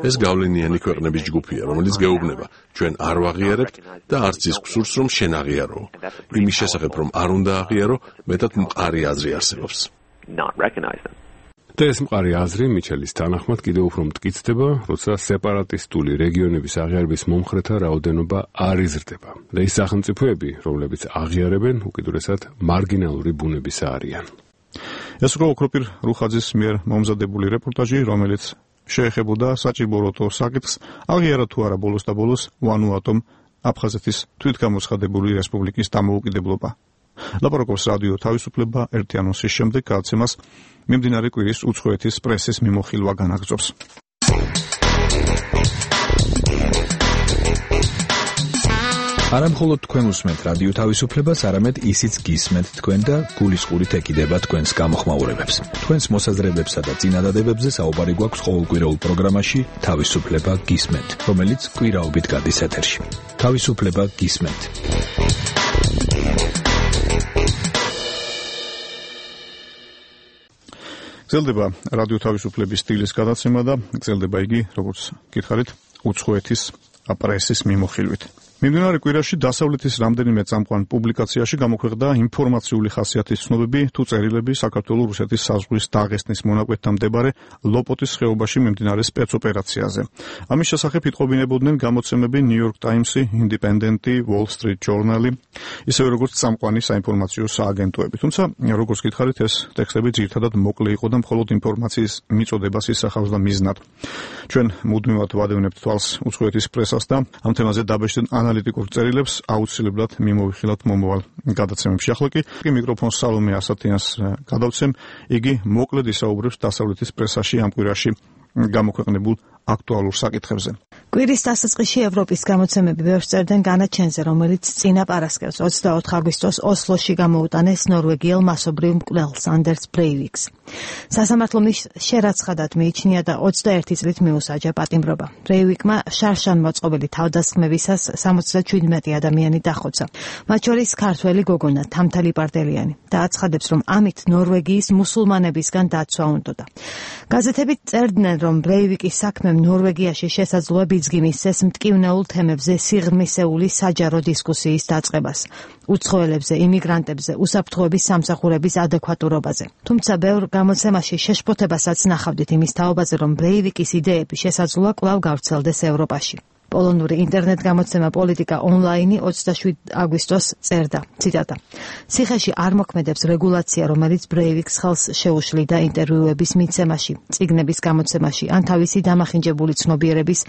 ეს გავლენიანი ქვეყნების ჯგუფია, რომელიც გეუბნება, ჩვენ არ ვაღიარებთ და არც ის გსურს, რომ შენ აღიარო. იმის შესახებ, რომ არ უნდა აღიარო, მეტად მყარი აზრი არსებობს. და ეს მყარი აზრი მიჩელის თანახმად კიდევ უფრო მტკიცდება, როცა სეპარატისტული რეგიონების აღიარების მომხრეთა რაოდენობა არ იზრდება. და ის სახელმწიფოები, რომლებიც აღიარებენ, უკიდურესად მარგინალური ბუნებისა არიან. ეს იყო ოქროპირ რუხაძის მიერ მომზადებული რეპორტაჟი, რომელიც შეეხებოდა საჭიროებო საკითხს, აღიარა თუ არა ბოლოს და ბოლოს ვანუატომ აფხაზეთის თვითგამოცხადებული რესპუბლიკის დამოუკიდებლობა. ლაპარაკობს რადიო თავისუფლება ერთი ანონსის შემდეგ გადაცემას მიმდინარე კვირის უცხოეთის პრესის მიმოხილვა განაგრძობს. არა მხოლოდ თქვენ უსმენთ რადიო თავისუფლებას, არამედ ისიც გისმენთ თქვენ და გულისყურით ეკიდება თქვენს გამოხმაურებებს. თქვენს მოსაზრებებსა და წინადადებებზე საუბარი გვაქვს ყოველკვირეულ პროგრამაში თავისუფლება გისმენთ, რომელიც კვირაობით გადის ეთერში. თავისუფლება გისმენთ. გრძელდება რადიო თავისუფლების სტილის გადაცემა და გრძელდება იგი, როგორც გითხარით, უცხოეთის პრესის მიმოხილვით. მიმდინარე კვირაში დასავლეთის რამდენიმე წამყვან პუბლიკაციაში გამოქვეყნდა ინფორმაციული ხასიათის ცნობები თუ წერილები საქართველო-რუსეთის საზღვრის დაღესტნის მონაკვეთთან მდებარე ლოპოტის ხეობაში მიმდინარე სპეცოპერაციაზე. ამის შესახებ იტყობინებოდნენ გამოცემები New York Times-ი, Independent-ი, Wall Street Journal-ი, ისევე როგორც წამყვანი საინფორმაციო სააგენტოები. თუმცა, როგორც გითხარით, ეს ტექსტები ძირითადად მოკლე იყო და მხოლოდ ინფორმაციის მიწოდებას ისახავს და მიზნად. ჩვენ მუდმივად ვადევნებთ თვალს უცხოეთის პრესას და ამ თემაზე დაბეჭდენ ანალიტიკურ წერილებს აუცილებლად მიმოვიხილავთ მომავალ გადაცემებში. ახლა კი მიკროფონს სალომე ასათიანს გადავცემ. იგი მოკლედ ისაუბრებს დასავლეთის პრესაში ამ კვირაში გამოქვეყნებულ აქტუალურ საკითხებზე. კვირის დასაწყისში ევროპის გამოცემები ბევრს წერდნენ განაჩენზე, რომელიც წინა პარასკევს 24 აგვისტოს ოსლოში გამოუტანეს ნორვეგიელ მასობრივ მკვლელს ანდერს ბრეივიკს. სასამართლომ შერაცხადად მიიჩნია და 21 წლით მიუსაჯა პატიმრობა. ბრეივიკმა შარშან მოწყობილი თავდასხმებისას 77 ადამიანი დახოცა. მათ შორის ქართველი გოგონა თამთალი პარდელიანი და აცხადებს, რომ ამით ნორვეგიის მუსულმანებისგან დაცვა უნდოდა. გაზეთები წერდნენ, რომ ბრეივიკის საქმემ ნორვეგიაში შესაძლოა ბიძგი მისცეს მტკივნეულ თემებზე სიღრმისეული საჯარო დისკუსიის დაწყებას, უცხოელებზე, იმიგრანტებზე, უსაფრთხოების სამსახურების ადეკვატურობაზე. თუმცა ბევრ გამოცემაში შეშფოთებასაც ნახავდით იმის თაობაზე, რომ ბრეივიკის იდეები შესაძლოა კვლავ გავრცელდეს ევროპაში. პოლონური ინტერნეტ გამოცემა პოლიტიკა ონლაინი 27 აგვისტოს წერდა, ციტატა: ციხეში არ მოქმედებს რეგულაცია, რომელიც ბრეივიკს ხელს შეუშლიდა ინტერვიუების მიცემაში, წიგნების გამოცემაში ან თავისი დამახინჯებული ცნობიერების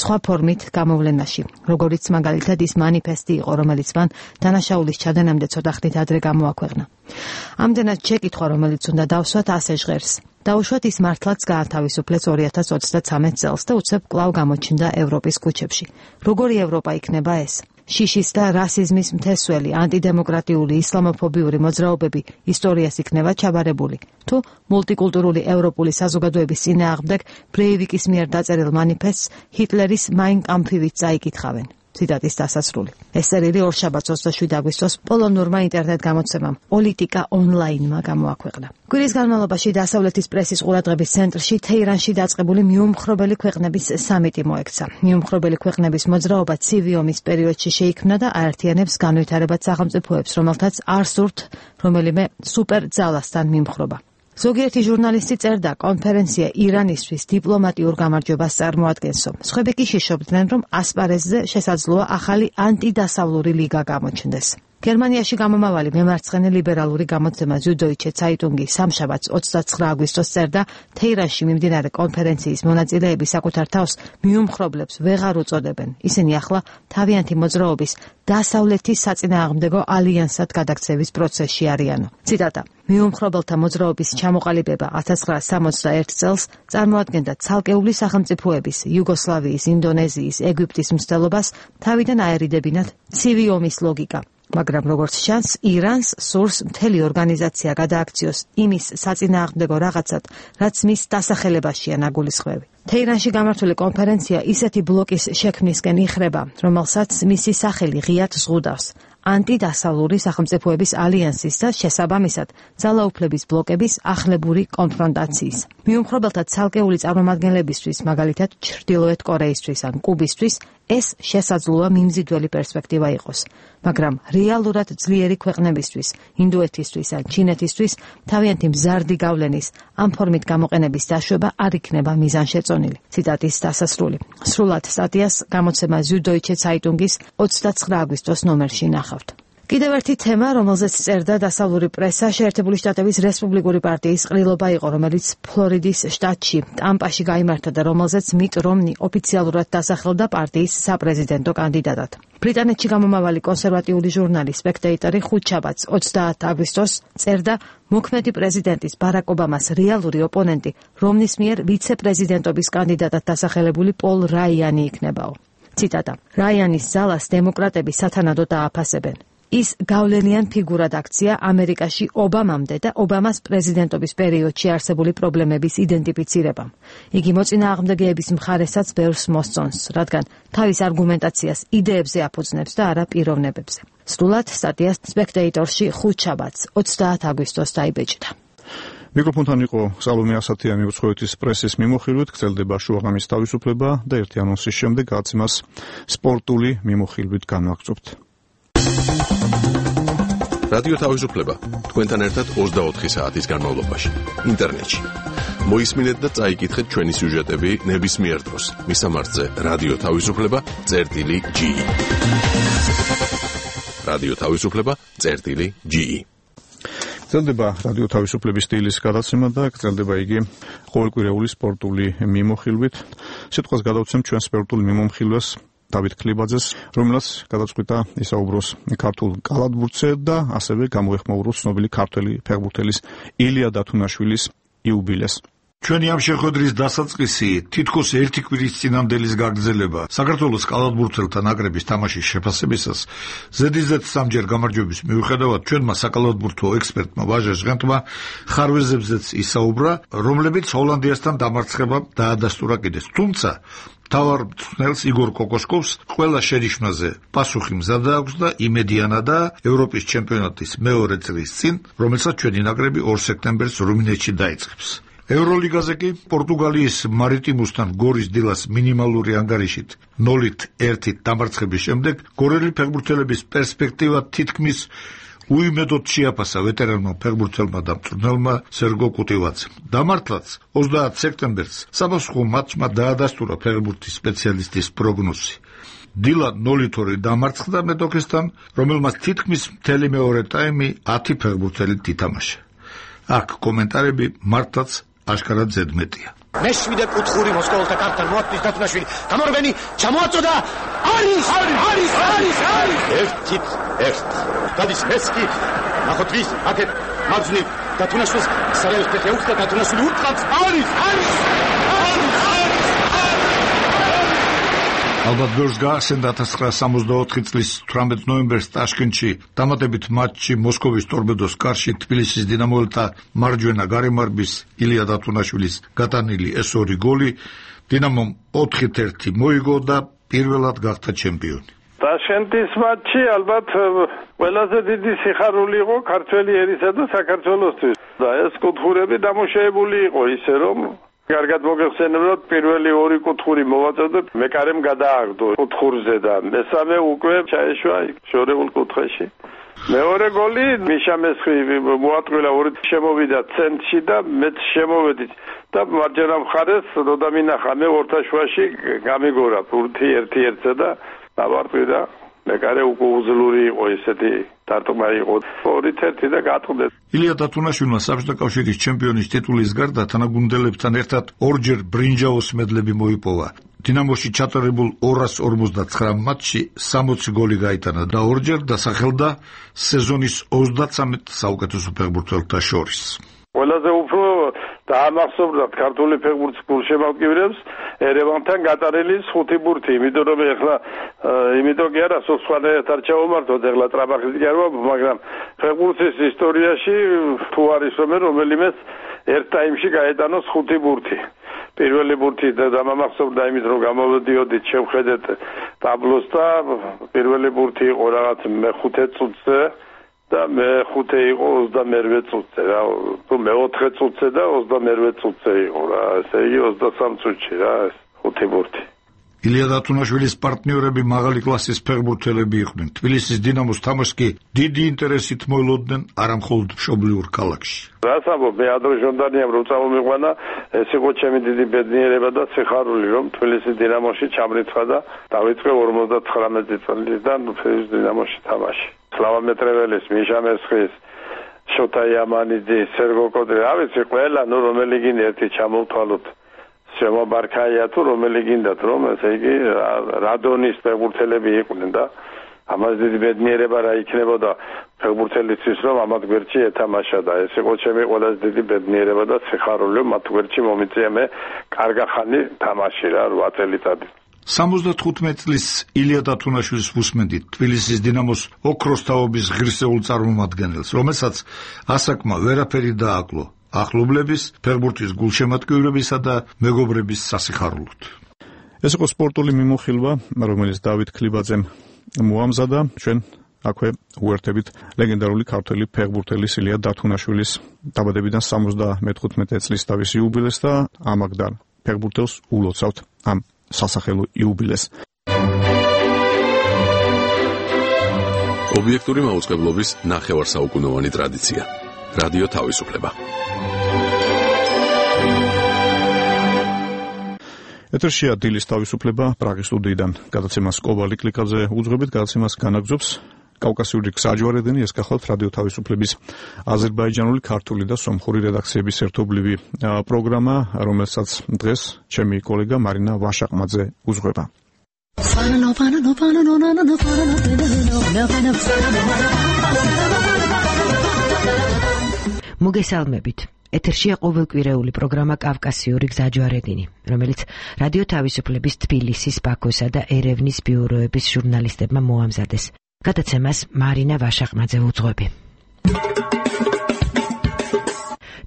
სხვა ფორმით გამოვლენაში, როგორიც მაგალითად ის მანიფესტი იყო, რომელიც მან დანაშაულის ჩადენამდე ცოტა ხნით ადრე გამოაქვეყნა. ამდენად შეკითხვა, რომელიც უნდა დავსვათ, ასე ჟღერს. დაუშვათ ის მართლაც გაათავისუფლეს 2023 წელს და უცებ კვლავ გამოჩნდა ევროპის ქუჩებში. როგორი ევროპა იქნება ეს? შიშის და რასიზმის მთესველი, ანტიდემოკრატიული, ისლამოფობიური მოძრაობები ისტორიას იქნება ჩაბარებული. თუ მულტიკულტურული ევროპული საზოგადოების წინააღმდეგ ბრეივიკის მიერ დაწერილ მანიფესტს ჰიტლერის მაინ კამფივით წაიკითხავენ. ციტატის დასასრული. ეს წერილი ორშაბათს 27 აგვისტოს პოლონურმა ინტერნეტ გამოცემამ პოლიტიკა ონლაინმა გამოაქვეყნა. კვირის განმავლობაში დასავლეთის პრესის ყურადღების ცენტრში თეირანში დაწყებული მიუმხრობელი ქვეყნების სამიტი მოექცა. მიუმხრობელი ქვეყნების მოძრაობა ცივი ომის პერიოდში შეიქმნა და აერთიანებს განვითარებად სახელმწიფოებს, რომელთაც არ სურთ რომელიმე სუპერ ძალასთან მიმხრობა. ზოგიერთი ჟურნალისტი წერდა, კონფერენცია ირანისთვის დიპლომატიურ გამარჯვებას წარმოადგენსო. სხვები კი შიშობდნენ, რომ ასპარეზზე შესაძლოა ახალი ანტიდასავლური ლიგა გამოჩნდეს. გერმანიაში გამომავალი მემარცხენე ლიბერალური გამოცემა Süddeutsche Zeitung სამშაბათს 29 აგვისტოს წერდა, თეირანში მიმდინარე კონფერენციის მონაწილეები საკუთარ თავს მიუმხრობლებს ვეღარ უწოდებენ. ისინი ახლა თავიანთი მოძრაობის დასავლეთის საწინააღმდეგო ალიანსად გადაქცევის პროცესში არიანო. ციტატა: მიუმხრობელთა მოძრაობის ჩამოყალიბება 1961 წელს წარმოადგენდა ცალკეული სახელმწიფოების იუგოსლავიის, ინდონეზიის, ეგვიპტის მცდელობას თავიდან აერიდებინათ ცივი ომის ლოგიკა. მაგრამ როგორც ჩანს, ირანს სურს მთელი ორგანიზაცია გადააქციოს იმის საწინააღმდეგო რაღაცად, რაც მის დასახელებაშია ნაგულისხმევი. თეირანში გამართული კონფერენცია ისეთი ბლოკის შექმნისკენ იხრება, რომელსაც მისი სახელი ღიად ზღუდავს. ანტიდასავლური სახელმწიფოების ალიანსის და შესაბამისად ძალაუფლების ბლოკების ახლებური კონფრონტაციის. მიუმხრობელთა ცალკეული წარმომადგენლებისთვის, მაგალითად ჩრდილოეთ კორეისთვის ან კუბისთვის, ეს შესაძლოა მიმზიდველი პერსპექტივა იყოს. მაგრამ რეალურად ძლიერი ქვეყნებისთვის, ინდოეთისთვის ან ჩინეთისთვის თავიანთი მზარდი გავლენის ამ ფორმით გამოყენების დაშვება არ იქნება მიზანშეწონილი. ციტატის დასასრული. სრულად სტატიას გამოცემა Süddeutsche Zeitung-ის 29 აგვისტოს ნომერში ნახავთ. კიდევ ერთი თემა, რომელზეც წერდა დასავლური პრესა, შეერთებული შტატების რესპუბლიკური პარტიის ყრილობა იყო, რომელიც ფლორიდის შტატში, ტამპაში გაიმართა და რომელზეც მიტ რომნი ოფიციალურად დასახელდა პარტიის საპრეზიდენტო კანდიდატად. ბრიტანეთში გამომავალი კონსერვატიული ჟურნალი Spectator-ი ხუთშაბათს 30 აგვისტოს წერდა, მოქმედი პრეზიდენტის ბარაკ ობამას რეალური ოპონენტი რომნის მიერ ვიცე-პრეზიდენტობის კანდიდატად დასახელებული პოლ რაიანი იქნებაო. ციტატა: რაიანის ძალას დემოკრატები სათანადოდ ააფასებენ. ის გავლენიან ფიგურად აქცია ამერიკაში ობამამდე და ობამას პრეზიდენტობის პერიოდში არსებული პრობლემების იდენტიფიცირებამ. იგი მოწინააღმდეგეების მხარესაც ბევრს მოსწონს, რადგან თავის არგუმენტაციას იდეებზე აფუძნებს და არა პიროვნებებზე. სრულად სტატია Spectator-ში ხუთშაბათს 30 აგვისტოს დაიბეჭდა. მიკროფონთან იყო სალომე ასათიანი, უცხოეთის პრესის მიმოხილვით გრძელდება შუაღამის თავისუფლება და ერთი ანონსის შემდეგ გაცემას სპორტული მიმოხილვით განვაგრძობთ. რადიო თავისუფლება თქვენთან ერთად 24 საათის განმავლობაში ინტერნეტში. მოისმინეთ და წაიკითხეთ ჩვენი სიუჟეტები ნებისმიერ დროს მისამართზე რადიო თავისუფლება.ge. რადიო თავისუფლება.ge. გრძელდება რადიო თავისუფლების სტილის გადაცემა და გრძელდება იგი ყოველკვირეული სპორტული მიმოხილვით. სიტყვას გადავცემ ჩვენ სპორტულ მიმოხილვას დავით ქლიბაძეს, რომელსაც გადაწყვიტა ისაუბროს ქართულ კალათბურთზე და ასევე გამოეხმაუროს ცნობილი ქართველი ფეხბურთელის ილია დათუნაშვილის იუბილეს. ჩვენი ამ შეხვედრის დასაწყისი თითქოს ერთი კვირის წინამდელის გაგრძელება საქართველოს კალათბურთელთა ნაკრების თამაშის შეფასებისას ზედიზედ სამჯერ გამარჯვების მიუხედავად ჩვენმა საკალათბურთო ექსპერტმა ვაჟა ჟღენტმა ხარვეზებზეც ისაუბრა, რომლებიც ჰოლანდიასთან დამარცხებამ დაადასტურა კიდეც. თუმცა თავარ მწვრთნელს იგორ კოკოშკოვს ყველა შენიშვნაზე პასუხი მზადა აქვს და იმედიანადა ევროპის ჩემპიონატის მეორე წრის წინ, რომელსაც ჩვენი ნაკრები 2 სექტემბერს რუმინეთში დაიწყებს. ევროლიგაზე კი პორტუგალიის მარიტიმუსთან გორის დილას მინიმალური ანგარიშით 0-1 დამარცხების შემდეგ გორელი ფეხბურთელების პერსპექტივა თითქმის უიმედოდ შეაფასა ვეტერანმა ფეხბურთელმა და მწვრთნელმა სერგო კუტივაძემ. დამართლაც 30 სექტემბერს საფასურო მატჩმა დაადასტურა ფეხბურთის სპეციალისტის პროგნოზი. დილა 0-2 დამარცხდა მეტოქესთან, რომელმაც თითქმის მთელი მეორე ტაიმი 10 ფეხბურთელი ითამაშა. აქ კომენტარები მართლაც აშკარად ზედმეტია. მეშვიდე კუთხური მოსკოველთა კართან მოაწყვის დათუნაშვილი. გამორბენი ჩამოაწოდა. არის! ერთით ერთ. გადის მესკი. ნახოთ ვის აქეთ მაგზნი დათუნაშვილს სარაევს ფეხი უხდა დათუნაშვილი უტყავს. არის! ალბათ ბევრს გაახსენდა 1964 წლის 18 ნოემბერს ტაშკენტში დამატებით მატჩი მოსკოვის ტორპედოს კარში თბილისის დინამოელთა მარჯვენა გარემარბის ილია დათუნაშვილის გატანილი ეს 2 გოლი დინამომ 4-1 მოიგო და პირველად გახდა ჩემპიონი. ტაშკენტის მატჩი ალბათ ყველაზე დიდი სიხარული იყო ქართველი ერისა და საქართველოსთვის. და ეს კუთხურები დამოშეებული იყო ისე რომ კარგად მოგეხსენებათ, პირველი 2 კუთხური მოვაწოდეთ, მეკარემ გადააგდო კუთხურზე და მესამე უკვე ჩაეშვა შორეულ კუთხეში. მეორე გოლი მიშა მესხი მოატყვილა 2 შემოვიდა ცენტრში და მეც შემოვედი და მარჯვენა მხარეს როდამინახა მე ორთაშვაში გამიგორა 1-1-ზე და დავარტყი და მეკარე უკვე უძლური იყო ესეთი დარტყმა იყო 2-1 და გატყდეს. ილია დათუნაშვილმა საბჭოთა კავშირის ჩემპიონის ტიტულის გარდა თანაგუნდელებთან ერთად ორჯერ ბრინჯაოს მედლები მოიპოვა. დინამოში ჩატარებულ 259 მატჩში 60 გოლი გაიტანა და ორჯერ დასახელდა სეზონის 33 საუკეთესო ფეხბურთელთა შორის. ყველაზე უფრო დაამახსოვრდათ ქართული ფეხბურთის გულშემატკივრებს ერევანთან გატარილი 5 ბურთი, იმიტომ რომ ეხლა იმიტომ კი არა სხვანაირად არ ჩაუმართოთ ეხლა ტრაბახის კი არა, მაგრამ ფეხბურთის ისტორიაში თუ არის რომელიმეც ერთ ტაიმში გაეტანოს 5 ბურთი. პირველი ბურთი დამამახსოვრდა იმით რომ გამოვიდიოდით შევხედეთ ტაბლოს და პირველი ბურთი იყო რაღაც მე-5 წუთზე და მე-5 იყო 28 წუთზე რა, თუ მე-4 წუთზე და 28 წუთზე იყო რა, ესე იგი 23 წუთში რა ეს 5 ბურთი. ილია დათუნაშვილის პარტნიორები მაღალი კლასის ფეხბურთელები იყვნენ. თბილისის დინამოს თამაშს კი დიდი ინტერესით მოელოდნენ არა მხოლოდ მშობლიურ ქალაქში. რას ამბობ, მე ადრე ჟონდანიამ რომ წამომიყვანა, ეს იყო ჩემი დიდი ბედნიერება და სიხარული, რომ თბილისის დინამოში ჩამრიცხა და დავიწყე 59 წლიდან თბილისის დინამოში თამაში. სლავა მეტრეველის, მიშა მესხის, შოთა იამანიძის, სერგო კოდრი, რა ვიცი, ყველა, რომელი გინდა ერთი ჩამოვთვალოთ. შემობარქაია თუ რომელი გინდათ რომ ესე იგი რადონის ფეხბურთელები იყვნენ და ამას დიდი ბედნიერება რა იქნებოდა ფეხბურთელისთვის რომ ამათ გვერდში ეთამაშა და ეს იყო ჩემი ყველაზე დიდი ბედნიერება და სიხარული მათ გვერდში მომიწია მე კარგახანი თამაში რა 8 წელიწადი. 75 წლის ილია დათუნაშვილის უსმენდით თბილისის დინამოს ოქროს თაობის ღირსეულ წარმომადგენელს, რომელსაც ასაკმა ვერაფერი დააკლო ახლობლების, ფეხბურთის გულშემატკივრებისა და მეგობრების სასიხარულოდ. ეს იყო სპორტული მიმოხილვა, რომელიც დავით ქლიბაძემ მოამზადა. ჩვენ აქვე უერთებით ლეგენდარული ქართველი ფეხბურთელის ილია დათუნაშვილის დაბადებიდან 75 წლის თავის იუბილეს და ამაგდან ფეხბურთელს ულოცავთ ამ სასახელო იუბილეს. ობიექტური მაუწყებლობის ნახევარსაუკუნოვანი ტრადიცია. რადიო თავისუფლება. ეთერშია დილის თავისუფლება პრაღის სტუდიიდან. გადაცემას კობალი კლიკაზე უძღვებით, გადაცემას განაგზობს კავკასიური გზაჯვარედინი, ეს გახლავთ რადიო თავისუფლების აზერბაიჯანული, ქართული და სომხური რედაქციების ერთობლივი პროგრამა, რომელსაც დღეს ჩემი კოლეგა მარინა ვაშაყმაძე უძღვება. მოგესალმებით. ეთერშია ყოველკვირეული პროგრამა კავკასიური გზაჯვარედინი, რომელიც რადიო თავისუფლების თბილისის, ბაქოსა და ერევნის ბიუროების ჟურნალისტებმა მოამზადეს. გადაცემას მარინა ვაშაყმაძე უძღვები.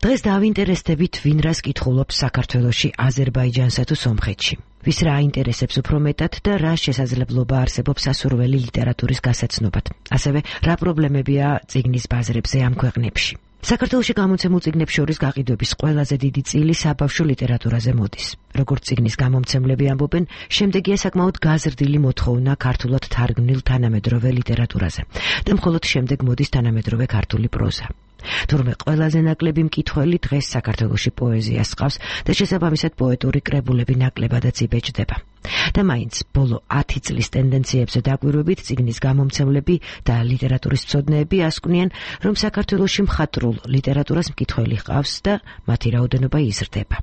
დღეს დავინტერესდებით ვინ რას კითხულობს საქართველოში, აზერბაიჯანსა თუ სომხეთში. ვის რა აინტერესებს უფრო მეტად და რა შესაძლებლობა არსებობს სასურველი ლიტერატურის გასაცნობად. ასევე რა პრობლემებია წიგნის ბაზრებზე ამ ქვეყნებში. საქართველოში გამოცემულ წიგნებს შორის გაყიდვების ყველაზე დიდი წილი საბავშვო ლიტერატურაზე მოდის. როგორც წიგნის გამომცემლები ამბობენ, შემდეგია საკმაოდ გაზრდილი მოთხოვნა ქართულად თარგმნილ თანამედროვე ლიტერატურაზე და მხოლოდ შემდეგ მოდის თანამედროვე ქართული პროზა. თურმე ყველაზე ნაკლები მკითხველი დღეს საქართველოში პოეზიას ჰყავს და შესაბამისად პოეტური კრებულები ნაკლებადაც იბეჭდება. და მაინც ბოლო 10 წლის ტენდენციებზე დაკვირვებით წიგნის გამომცემლები და ლიტერატურის მცოდნეები ასკვნიან, რომ საქართველოში მხატვრულ ლიტერატურას მკითხველი ჰყავს და მათი რაოდენობა იზრდება.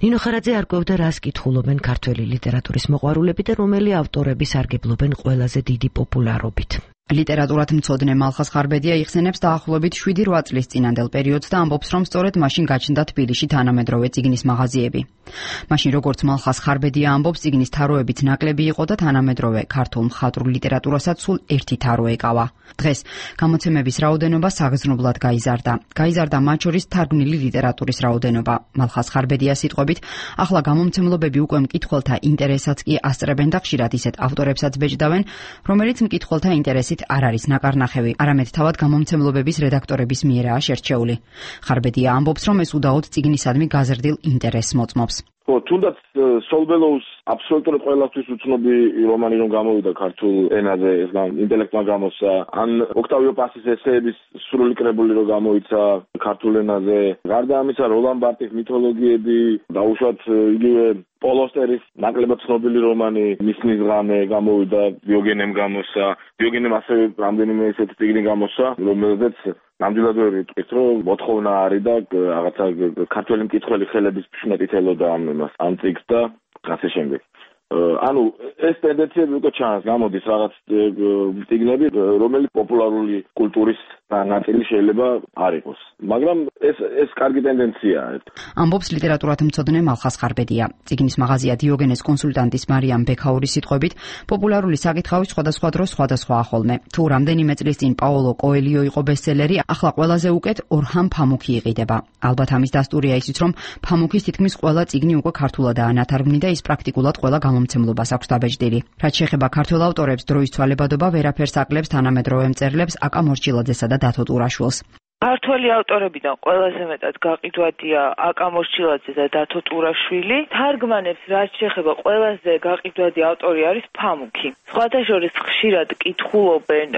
ნინო ხარაძე არკვევდა, რას კითხულობენ ქართველი ლიტერატურის მოყვარულები და რომელი ავტორები სარგებლობენ ყველაზე დიდი პოპულარობით. ლიტერატურად მცოდნე მალხაზ ხარბედია იხსენებს დაახლოებით 7-8 წლის წინანდელ პერიოდს და ამბობს, რომ სწორედ მაშინ გაჩნდა თბილისში თანამედროვე წიგნის მაღაზიები. მაშინ როგორც მალხაზ ხარბედია ამბობს, წიგნის თაროებიც ნაკლები იყო და თანამედროვე ქართულ მხატვრულ ლიტერატურასაც სულ ერთი თარო ეკავა. დღეს გამოცემების რაოდენობა საგრძნობლად გაიზარდა. გაიზარდა მათ შორის თარგმნილი ლიტერატურის რაოდენობა. მალხაზ ხარბედიას სიტყვებით, ახლა გამომცემლობები უკვე მკითხველთა ინტერესსაც კი ასწრებენ და ხშირად ისეთ ავტორებსაც ბეჭდავენ, რომელიც მკითხველთა ინტერესით არ არის ნაკარნახევი, არამედ თავად გამომცემლობების რედაქტორების მიერაა შერჩეული. ხარბედია ამბობს, რომ ეს უდაოდ წიგნისადმი გაზრდილ ინტერესს მოწმობს. ხო, თუნდაც სოლბელოუს აბსოლუტურად ყველასთვის უცნობი რომანი რომ გამოვიდა ქართულ ენაზე, ეს ინტელექტმა გამოსცა, ან ოქტავიო პასის ესეების სრული კრებული რომ გამოიცა ქართულ ენაზე. გარდა ამისა, როლან ბარტის მითოლოგიები, დაუშვათ იგივე პოლოსტერის ნაკლებად ცნობილი რომანი მისნის ღამე გამოვიდა, დიოგენემ გამოსცა. დიოგენემ ასევე რამდენიმე ესეთი წიგნი გამოსცა, რომელზეც ნამდვილად ვერ ვიტყვით, რომ მოთხოვნა არის და რაღაცა ქართველი მკითხველი ხელების ფშნეტით ელოდა ამ წიგნს და ასე შემდეგ. ანუ ეს ტენდენციები უკვე ჩანს, გამოდის რაღაც წიგნები, რომელიც პოპულარული კულტურის ნაწილი შეიძლება არ იყოს. მაგრამ ეს კარგი ტენდენციაა. ამბობს ლიტერატურათმცოდნე მალხაზ ხარბედია. წიგნის მაღაზია დიოგენეს კონსულტანტის მარიამ ბექაურის სიტყვებით, პოპულარული საკითხავი სხვადასხვა დროს სხვადასხვაა ხოლმე. თუ რამდენიმე წლის წინ პაოლო კოელიო იყო ბესტსელერი, ახლა ყველაზე უკეთ ორჰან ფამუქი იყიდება. ალბათ ამის დასტურია ისიც, რომ ფამუქის თითქმის ყველა წიგნი უკვე ქართულადაა ნათარგმნი და ის პრაქტიკულად ყველა გამომცემლობას აქვს დაბეჭდილი. რაც შეეხება ქართველ ავტორებს, დროის ცვალებადობა ვერაფერს აკლებს თანამედროვე მწერლებს აკა მორჩილაძესა და დათო ტურაშვილს. ქართველი ავტორებიდან ყველაზე მეტად გაყიდვადია აკა მორჩილაძე და დათო ტურაშვილი. თარგმანებს რაც შეეხება ყველაზე გაყიდვადი ავტორი არის ფამუქი. სხვადასხვა ხშირად კითხულობენ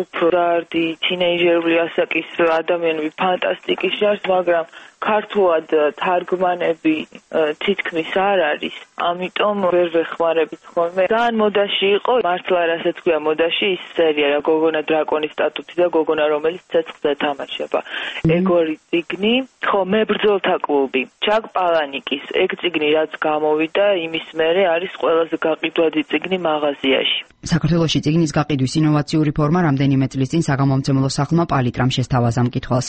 უფრო ზარდი თინეიჯერული ასაკის ადამიანები ფანტასტიკის ჟანრს, მაგრამ ქართულად თარგმანები თითქმის არ არის. ამიტომ ვერ ვეხმარებით ხოლმე. ძალიან მოდაში იყო, მართლა რასაც ქვია მოდაში ის სერია რა გოგონა დრაკონის სტატუთი და გოგონა რომელიც ცეცხლზე თამაშება. ეგორი წიგნი, ხო, მებრძოლთა კლუბი. ჩაკ პალანიკის ეგ წიგნი რაც გამოვიდა, იმის მერე არის ყველაზე გაყიდვადი წიგნი მაღაზიაში. საქართველოში წიგნის გაყიდვის ინოვაციური ფორმა რამდენიმე წლის წინ საგამომცემლო სახლმა პალიტრამ შესთავაზა მკითხვას.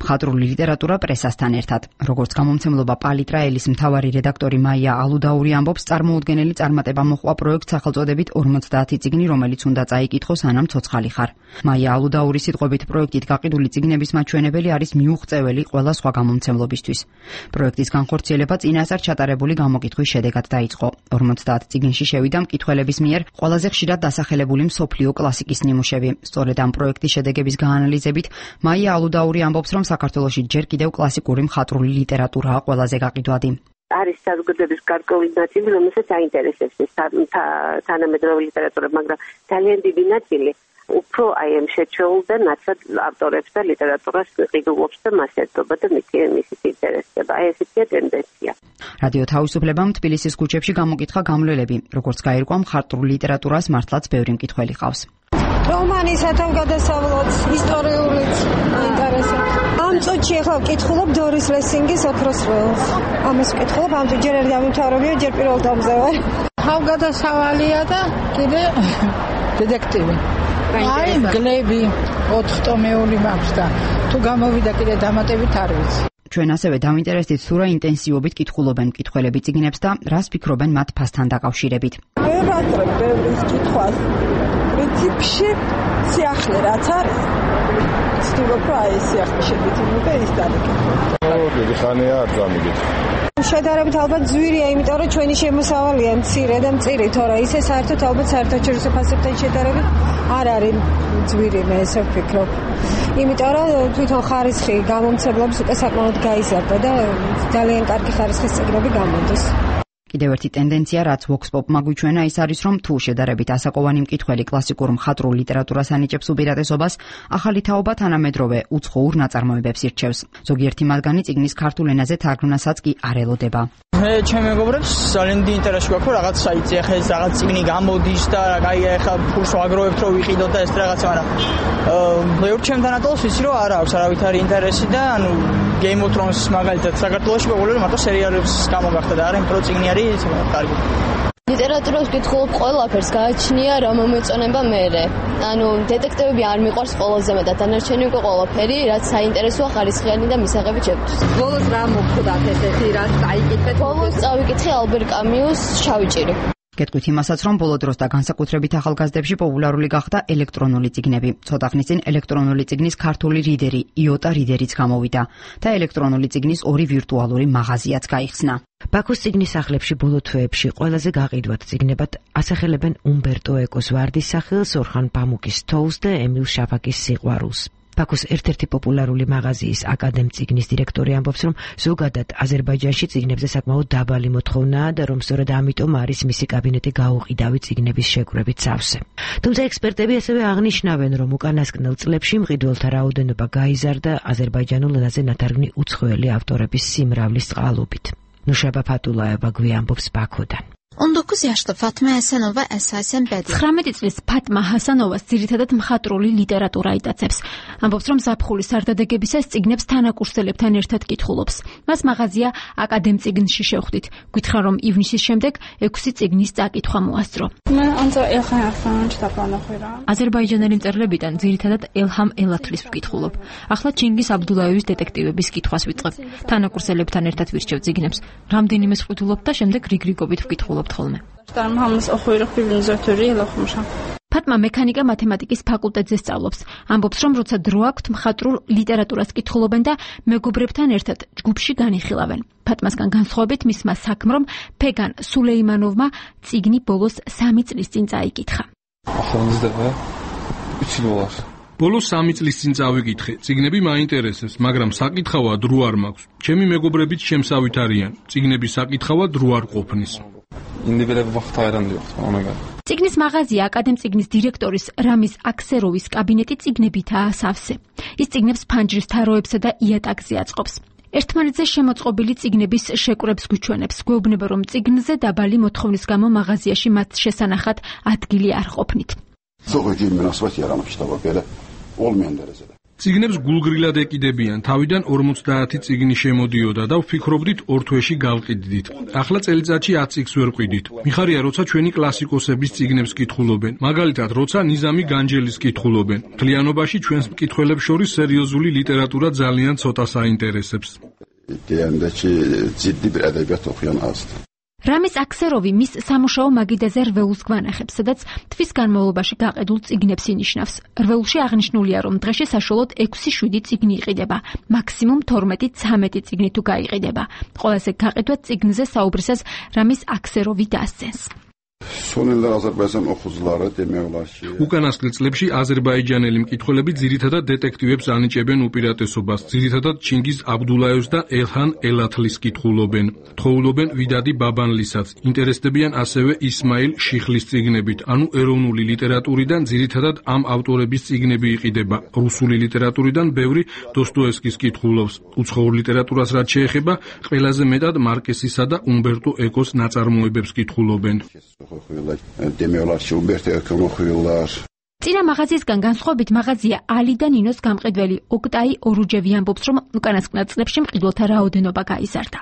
მხატვრული ლიტერატურა პრესასთან ერთად. როგორც გამომცემლობა პალიტრა ელის მთავარი რედაქტორი მაია ალუდაური ამბობს, წარმოუდგენელი წარმატება მოჰყვა პროექტ სახელწოდებით 50 წიგნი, რომელიც უნდა წაიკითხოს ანამ ცოცხალი ხარ. მაია ალუდაურის სიტყვებით პროექტით გაყიდული წიგნების მაჩვენებელი არის მიუღწეველი ყველა სხვა გამომცემლობისთვის. პროექტის განხორციელება წინასწარ ჩატარებული გამოკითხვის შედეგად დაიწყო. 50 წიგნში შევიდა მკითხველების მიერ ყველაზე ხშირად დასახელებული მსოფლიო კლასიკის ნიმუშები. სწორედ ამ პროექტის შედეგების გაანალიზებით, მაია ალუდაური ამბობს, რომ საქართველოში ჯერ კიდევ კლასიკური მხატვრული ლიტერატურაა ყველაზე გაყიდვადი. არის საზოგადოების გარკვეული ნაწილი, რომელსაც აინტერესებს ეს თანამედროვე ლიტერატურა, მაგრამ ძალიან დიდი ნაწილი უფრო აი ამ შეჩეულ და ნაცად ავტორებს და ლიტერატურას ყიდულობს და მას ერთობა და მისით ინტერესდება. აი ესეთი ტენდენცია. რადიო თავისუფლებამ თბილისის ქუჩებში გამოკითხა გამლელები, როგორც გაირკვა მხატვრულ ლიტერატურას მართლაც ბევრი მკითხველი ყავს. რომანისათან გადასავლად, ისტორიულიც ინტერესებს. ამ წუთში ახლა ვკითხულობ დორის ლესინგის ოქროს ველს. ამას ვკითხულობ, ამ ჯერ ერთი დამთავრებია, ჯერ პირველ დამზე ვარ. თავგადასავალია და კიდე დეტექტივი. აი, გლები 4 ტომეული მაქვს და თუ გამოვიდა კიდე დამატებით არ ვიცი. ჩვენ ასევე დავინტერესდით თუ რა ინტენსივობით კითხულობენ მკითხველები წიგნებს და რას ფიქრობენ მათ ფასთან დაკავშირებით. ვერ ვატრებ ბევრის კითხვას. პრინციპში სიახლე რაც არის. ვცდილობ რა ეს სიახლე შეგეძინო და ის დაგეკითხო. დიდი ხანია არ დამიგეთ. შედარებით ალბათ ძვირია, იმიტომ რომ ჩვენი შემოსავალია მცირე და მწირი, თორე ისე საერთოდ ალბათ საერთაშორისო ფასებთან შედარებით არ არის ძვირი, მე ესე ვფიქრობ. იმიტომ რომ თვითონ ხარისხი გამომცემლობის უკვე საკმაოდ გაიზარდა და ძალიან კარგი ხარისხის წიგნები გამოდის. კიდევ ერთი ტენდენცია, რაც ვოქსპოპმა გვიჩვენა, ის არის, რომ თუ შედარებით ასაკოვანი მკითხველი კლასიკურ მხატვრულ ლიტერატურას ანიჭებს უპირატესობას, ახალი თაობა თანამედროვე უცხოურ ნაწარმოებებს ირჩევს. ზოგიერთი მათგანი წიგნის ქართულ ენაზე თარგმნასაც კი არ ელოდება. მე ჩემ მეგობრებს ძალიან დიდი ინტერესი გვაქვს, რომ რაღაც საიტზე ახლა ეს რაღაც წიგნი გამოდის და აი ახლა ფულს ვაგროვებთ, რომ ვიყიდოთ და ეს რაღაცა, მაგრამ ბევრ ჩემთან ატოლს ვიცი, რომ არ აქვს არავითარი ინტერესი და ანუ Game of Thrones მაგალითად საქართველოში პოპულარული მარტო სერიალებს გამოგახდა და არ იმ პრო წიგნი არის კარგი. ლიტერატურას ვკითხულობ ყველაფერს, გააჩნია რა მომეწონება მერე. ანუ დეტექტივები არ მიყვარს ყველაზე მეტად, დანარჩენი უკვე ყველაფერი, რაც საინტერესოა, ხარისხიანი და მისაღები ჩემთვის. ბოლოს რა მოხდათ ესეთი, რაც წაიკითხეთ? ბოლოს წავიკითხე ალბერ კამიუს შავი ჭირი. გეტყვით იმასაც, რომ ბოლო დროს და განსაკუთრებით ახალგაზრდებში პოპულარული გახდა ელექტრონული წიგნები. ცოტა ხნის წინ ელექტრონული წიგნის ქართული რიდერი, იოტა რიდერიც გამოვიდა და ელექტრონული წიგნის ორი ვირტუალური მაღაზიაც გაიხსნა. ბაქოს წიგნის სახლებში ბოლო თვეებში ყველაზე გაყიდვად წიგნებად ასახელებენ უმბერტო ეკოს ვარდის სახელს, ორხან პამუკის თოვლს და ემილ შაფაკის სიყვარულს. ბაქოს ერთ-ერთი პოპულარული მაღაზიის აკადემ წიგნის დირექტორი ამბობს, რომ ზოგადად აზერბაიჯანში წიგნებზე საკმაოდ დაბალი მოთხოვნაა და რომ სწორედ ამიტომ არის მისი კაბინეტი გაუყიდავი წიგნების შეკრებით სავსე. თუმცა ექსპერტები ასევე აღნიშნავენ, რომ უკანასკნელ წლებში მყიდველთა რაოდენობა გაიზარდა აზერბაიჯანულ ენაზე ნათარგმნი უცხოელი ავტორების სიმრავლის წყალობით. ნუშაბა ფატულაევა გვიამბობს ბაქოდან. 19 yaşlı Fatma Hasanova əsasən bədii. 19 წლის ფატმა ჰასანოვას ძირითადად მხატვრული ლიტერატურა იტაცებს. ამბობს, რომ ზაფხულის სარდადეგებისას წიგნებს თანაკურსელებთან ერთად კითხულობს. მას მაღაზია აკადემ წიგნში შევხვდით. გითხრა, რომ ივნისის შემდეგ 6 წიგნის წაკითხვა მოასწრო. აზერბაიჯანელი მწერლებიდან ძირითადად ელჰამ ელათლის ვკითხულობ. ახლა ჩინგის აბდულაევის დეტექტივების კითხვას ვიწყებ. თანაკურსელებთან ერთად ვირჩევ წიგნებს. რამდენიმე ვკითხულობ და შემდეგ რიგრიგობით ვკითხულობ. ფატმა მექანიკა მათემატიკის ფაკულტეტზე სწავლობს. ამბობს, რომ როცა დრო აქვთ, მხატვრულ ლიტერატურას კითხულობენ და მეგობრებთან ერთად ჯგუფში განიხილავენ. ფატმასგან განსხვავებით მისმა საქმრომ ფეგან სულეიმანოვმა წიგნი ბოლოს 3 წლის წინ წაიკითხა. ბოლოს 3 წლის წინ წავიკითხე. წიგნები მაინტერესებს, მაგრამ საკითხავად დრო არ მაქვს. ჩემი მეგობრებიც შემსავით არიან. წიგნების საკითხავად დრო არ ყოფნის. წიგნის მაღაზია აკადემ წიგნის დირექტორის რამის აქსეროვის კაბინეტი წიგნებითაა სავსე. ის წიგნებს ფანჯრის თაროებსა და იატაკზე აწყობს. ერთმანეთზე შემოწყობილი წიგნების შეკვრებს გვიჩვენებს. გვეუბნება, რომ წიგნზე დაბალი მოთხოვნის გამო მაღაზიაში მათ შესანახად ადგილი არ ყოფნით. წიგნებს გულგრილად ეკიდებიან, თავიდან 50 წიგნი შემოდიოდა და ვფიქრობდით 2 თვეში გავყიდდით. ახლა წელიწადში 10 წიგნს ვერ ყიდით. მიხარია, როცა ჩვენი კლასიკოსების წიგნებს კითხულობენ, მაგალითად, როცა ნიზამი განჯელის კითხულობენ. მთლიანობაში ჩვენს მკითხველებს შორის სერიოზული ლიტერატურა ძალიან ცოტა საინტერესებს. რამის აქსეროვი მის სამუშაო მაგიდაზე რვეულს გვანახებს, სადაც თვის განმავლობაში გაყიდულ წიგნებს ინიშნავს. რვეულში აღნიშნულია, რომ დღეში საშუალოდ 6-7 წიგნი იყიდება, მაქსიმუმ 12-13 წიგნი თუ გაიყიდება. ყველაზე გაყიდვად წიგნზე საუბრისას რამის აქსეროვი დასცენს. უკანასკნელ წლებში აზერბაიჯანელი მკითხველები ძირითადად დეტექტივებს ანიჭებენ უპირატესობას, ძირითადად ჩინგიზ აბდულაევს და ელჰან ელათლის კითხულობენ. თხოვლობენ ვიდადი ბაბანლისაც. ინტერესდებიან ასევე ისმაილ შიხლის წიგნებით, ანუ ეროვნული ლიტერატურიდან ძირითადად ამ ავტორების წიგნები იყიდება. რუსული ლიტერატურიდან ბევრი დოსტოევსკის კითხულობს. უცხოურ ლიტერატურას რაც შეეხება, ყველაზე მეტად მარკესისა და უმბერტო ეკოს ნაწარმოებებს კითხულობენ. წინა მაღაზიისგან განსხვავებით მაღაზია ალი და ნინოს გამყიდველი ოკტაი ორუჯევი ამბობს, რომ უკანასკნელ წლებში მყიდველთა რაოდენობა გაიზარდა.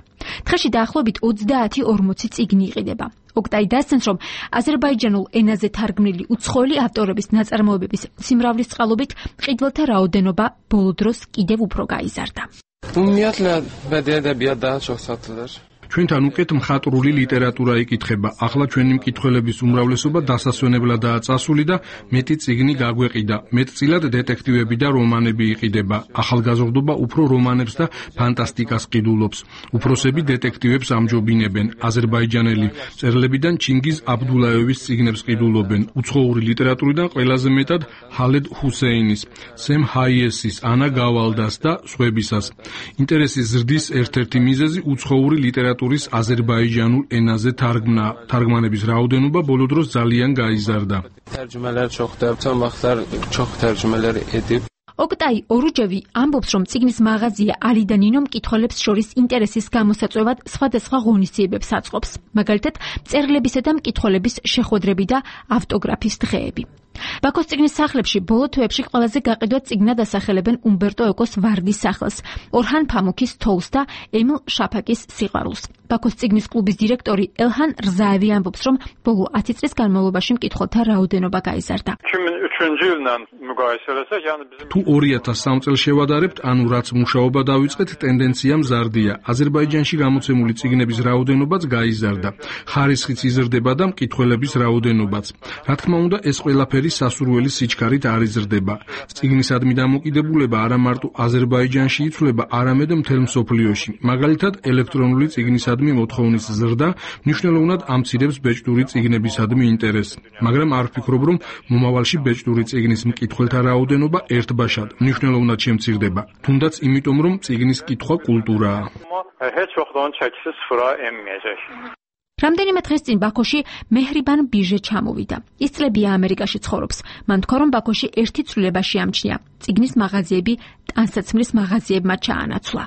დღეში დაახლოებით 30-40 წიგნი იყიდება. ოკტაი დასცენს, რომ აზერბაიჯანულ ენაზე თარგმნილი უცხოელი ავტორების ნაწარმოებების სიმრავლის წყალობით მყიდველთა რაოდენობა ბოლო დროს კიდევ უფრო გაიზარდა. ჩვენთან უკეთ მხატვრული ლიტერატურა იკითხება. ახლა ჩვენი მკითხველების უმრავლესობა დასასვენებლადაა წასული და მეტი წიგნი გაგვეყიდა. მეტწილად დეტექტივები და რომანები იყიდება. ახალგაზრდობა უფრო რომანებს და ფანტასტიკას ყიდულობს. უფროსები დეტექტივებს ამჯობინებენ. აზერბაიჯანელი მწერლებიდან ჩინგიზ აბდულაევის წიგნებს ყიდულობენ. უცხოური ლიტერატურიდან ყველაზე მეტად ჰალედ ჰუსეინის, სემ ჰაიესის, ანა გავალდას და სხვებისას. ინტერესის ზრდის ერთ-ერთი მიზეზი უცხოური ლიტერატურის აზერბაიჯანულ ენაზე თარგმანების რაოდენობა ბოლო დროს ძალიან გაიზარდა. ოკტაი ორუჯევი ამბობს, რომ წიგნის მაღაზია ალი და ნინო მკითხველებს შორის ინტერესის გამოსაწვევად სხვადასხვა ღონისძიებებს აწყობს. მაგალითად, მწერლებისა და მკითხველების შეხვედრები და ავტოგრაფის დღეები. ბაქოს წიგნის სახლებში ბოლო თვეებში ყველაზე გაყიდვად წიგნად ასახელებენ უმბერტო ეკოს ვარდის სახლს, ორჰან ფამუქის თოვლს და ემილ შაფაკის სიყვარულს. ბაქოს წიგნის კლუბის დირექტორი ელჰან რზაევი ამბობს, რომ ბოლო 10 წლის განმავლობაში მკითხველთა რაოდენობა გაიზარდა. თუ 2003 წელს შევადარებთ, ანუ რაც მუშაობა დავიწყეთ, ტენდენცია მზარდია. აზერბაიჯანში გამოცემული წიგნების რაოდენობაც გაიზარდა. ხარისხიც იზრდება და მკითხველების რაოდენობაც. რა თქმა უნდა, ეს ყველაფერი სასურველი სიჩქარით არ იზრდება. წიგნისადმი დამოკიდებულება არა მარტო აზერბაიჯანში იცვლება, არამედ მთელ მსოფლიოში. მაგალითად, ელექტრონული წიგნისა წიგნებისადმი მოთხოვნის ზრდა მნიშვნელოვნად ამცირებს ბეჭდური წიგნებისადმი ინტერესს, მაგრამ არ ვფიქრობ, რომ მომავალში ბეჭდური წიგნის მკითხველთა რაოდენობა ერთბაშად მნიშვნელოვნად შემცირდება, თუნდაც იმიტომ, რომ წიგნის კითხვა კულტურაა. რამდენიმე დღის წინ ბაქოში მეჰრიბან ბიჟე ჩამოვიდა. ის წლებია ამერიკაში ცხოვრობს. მან თქვა, რომ ბაქოში ერთი ცვლილება შეამჩნია. წიგნის მაღაზიები ტანსაცმლის მაღაზიებმა ჩაანაცვლა.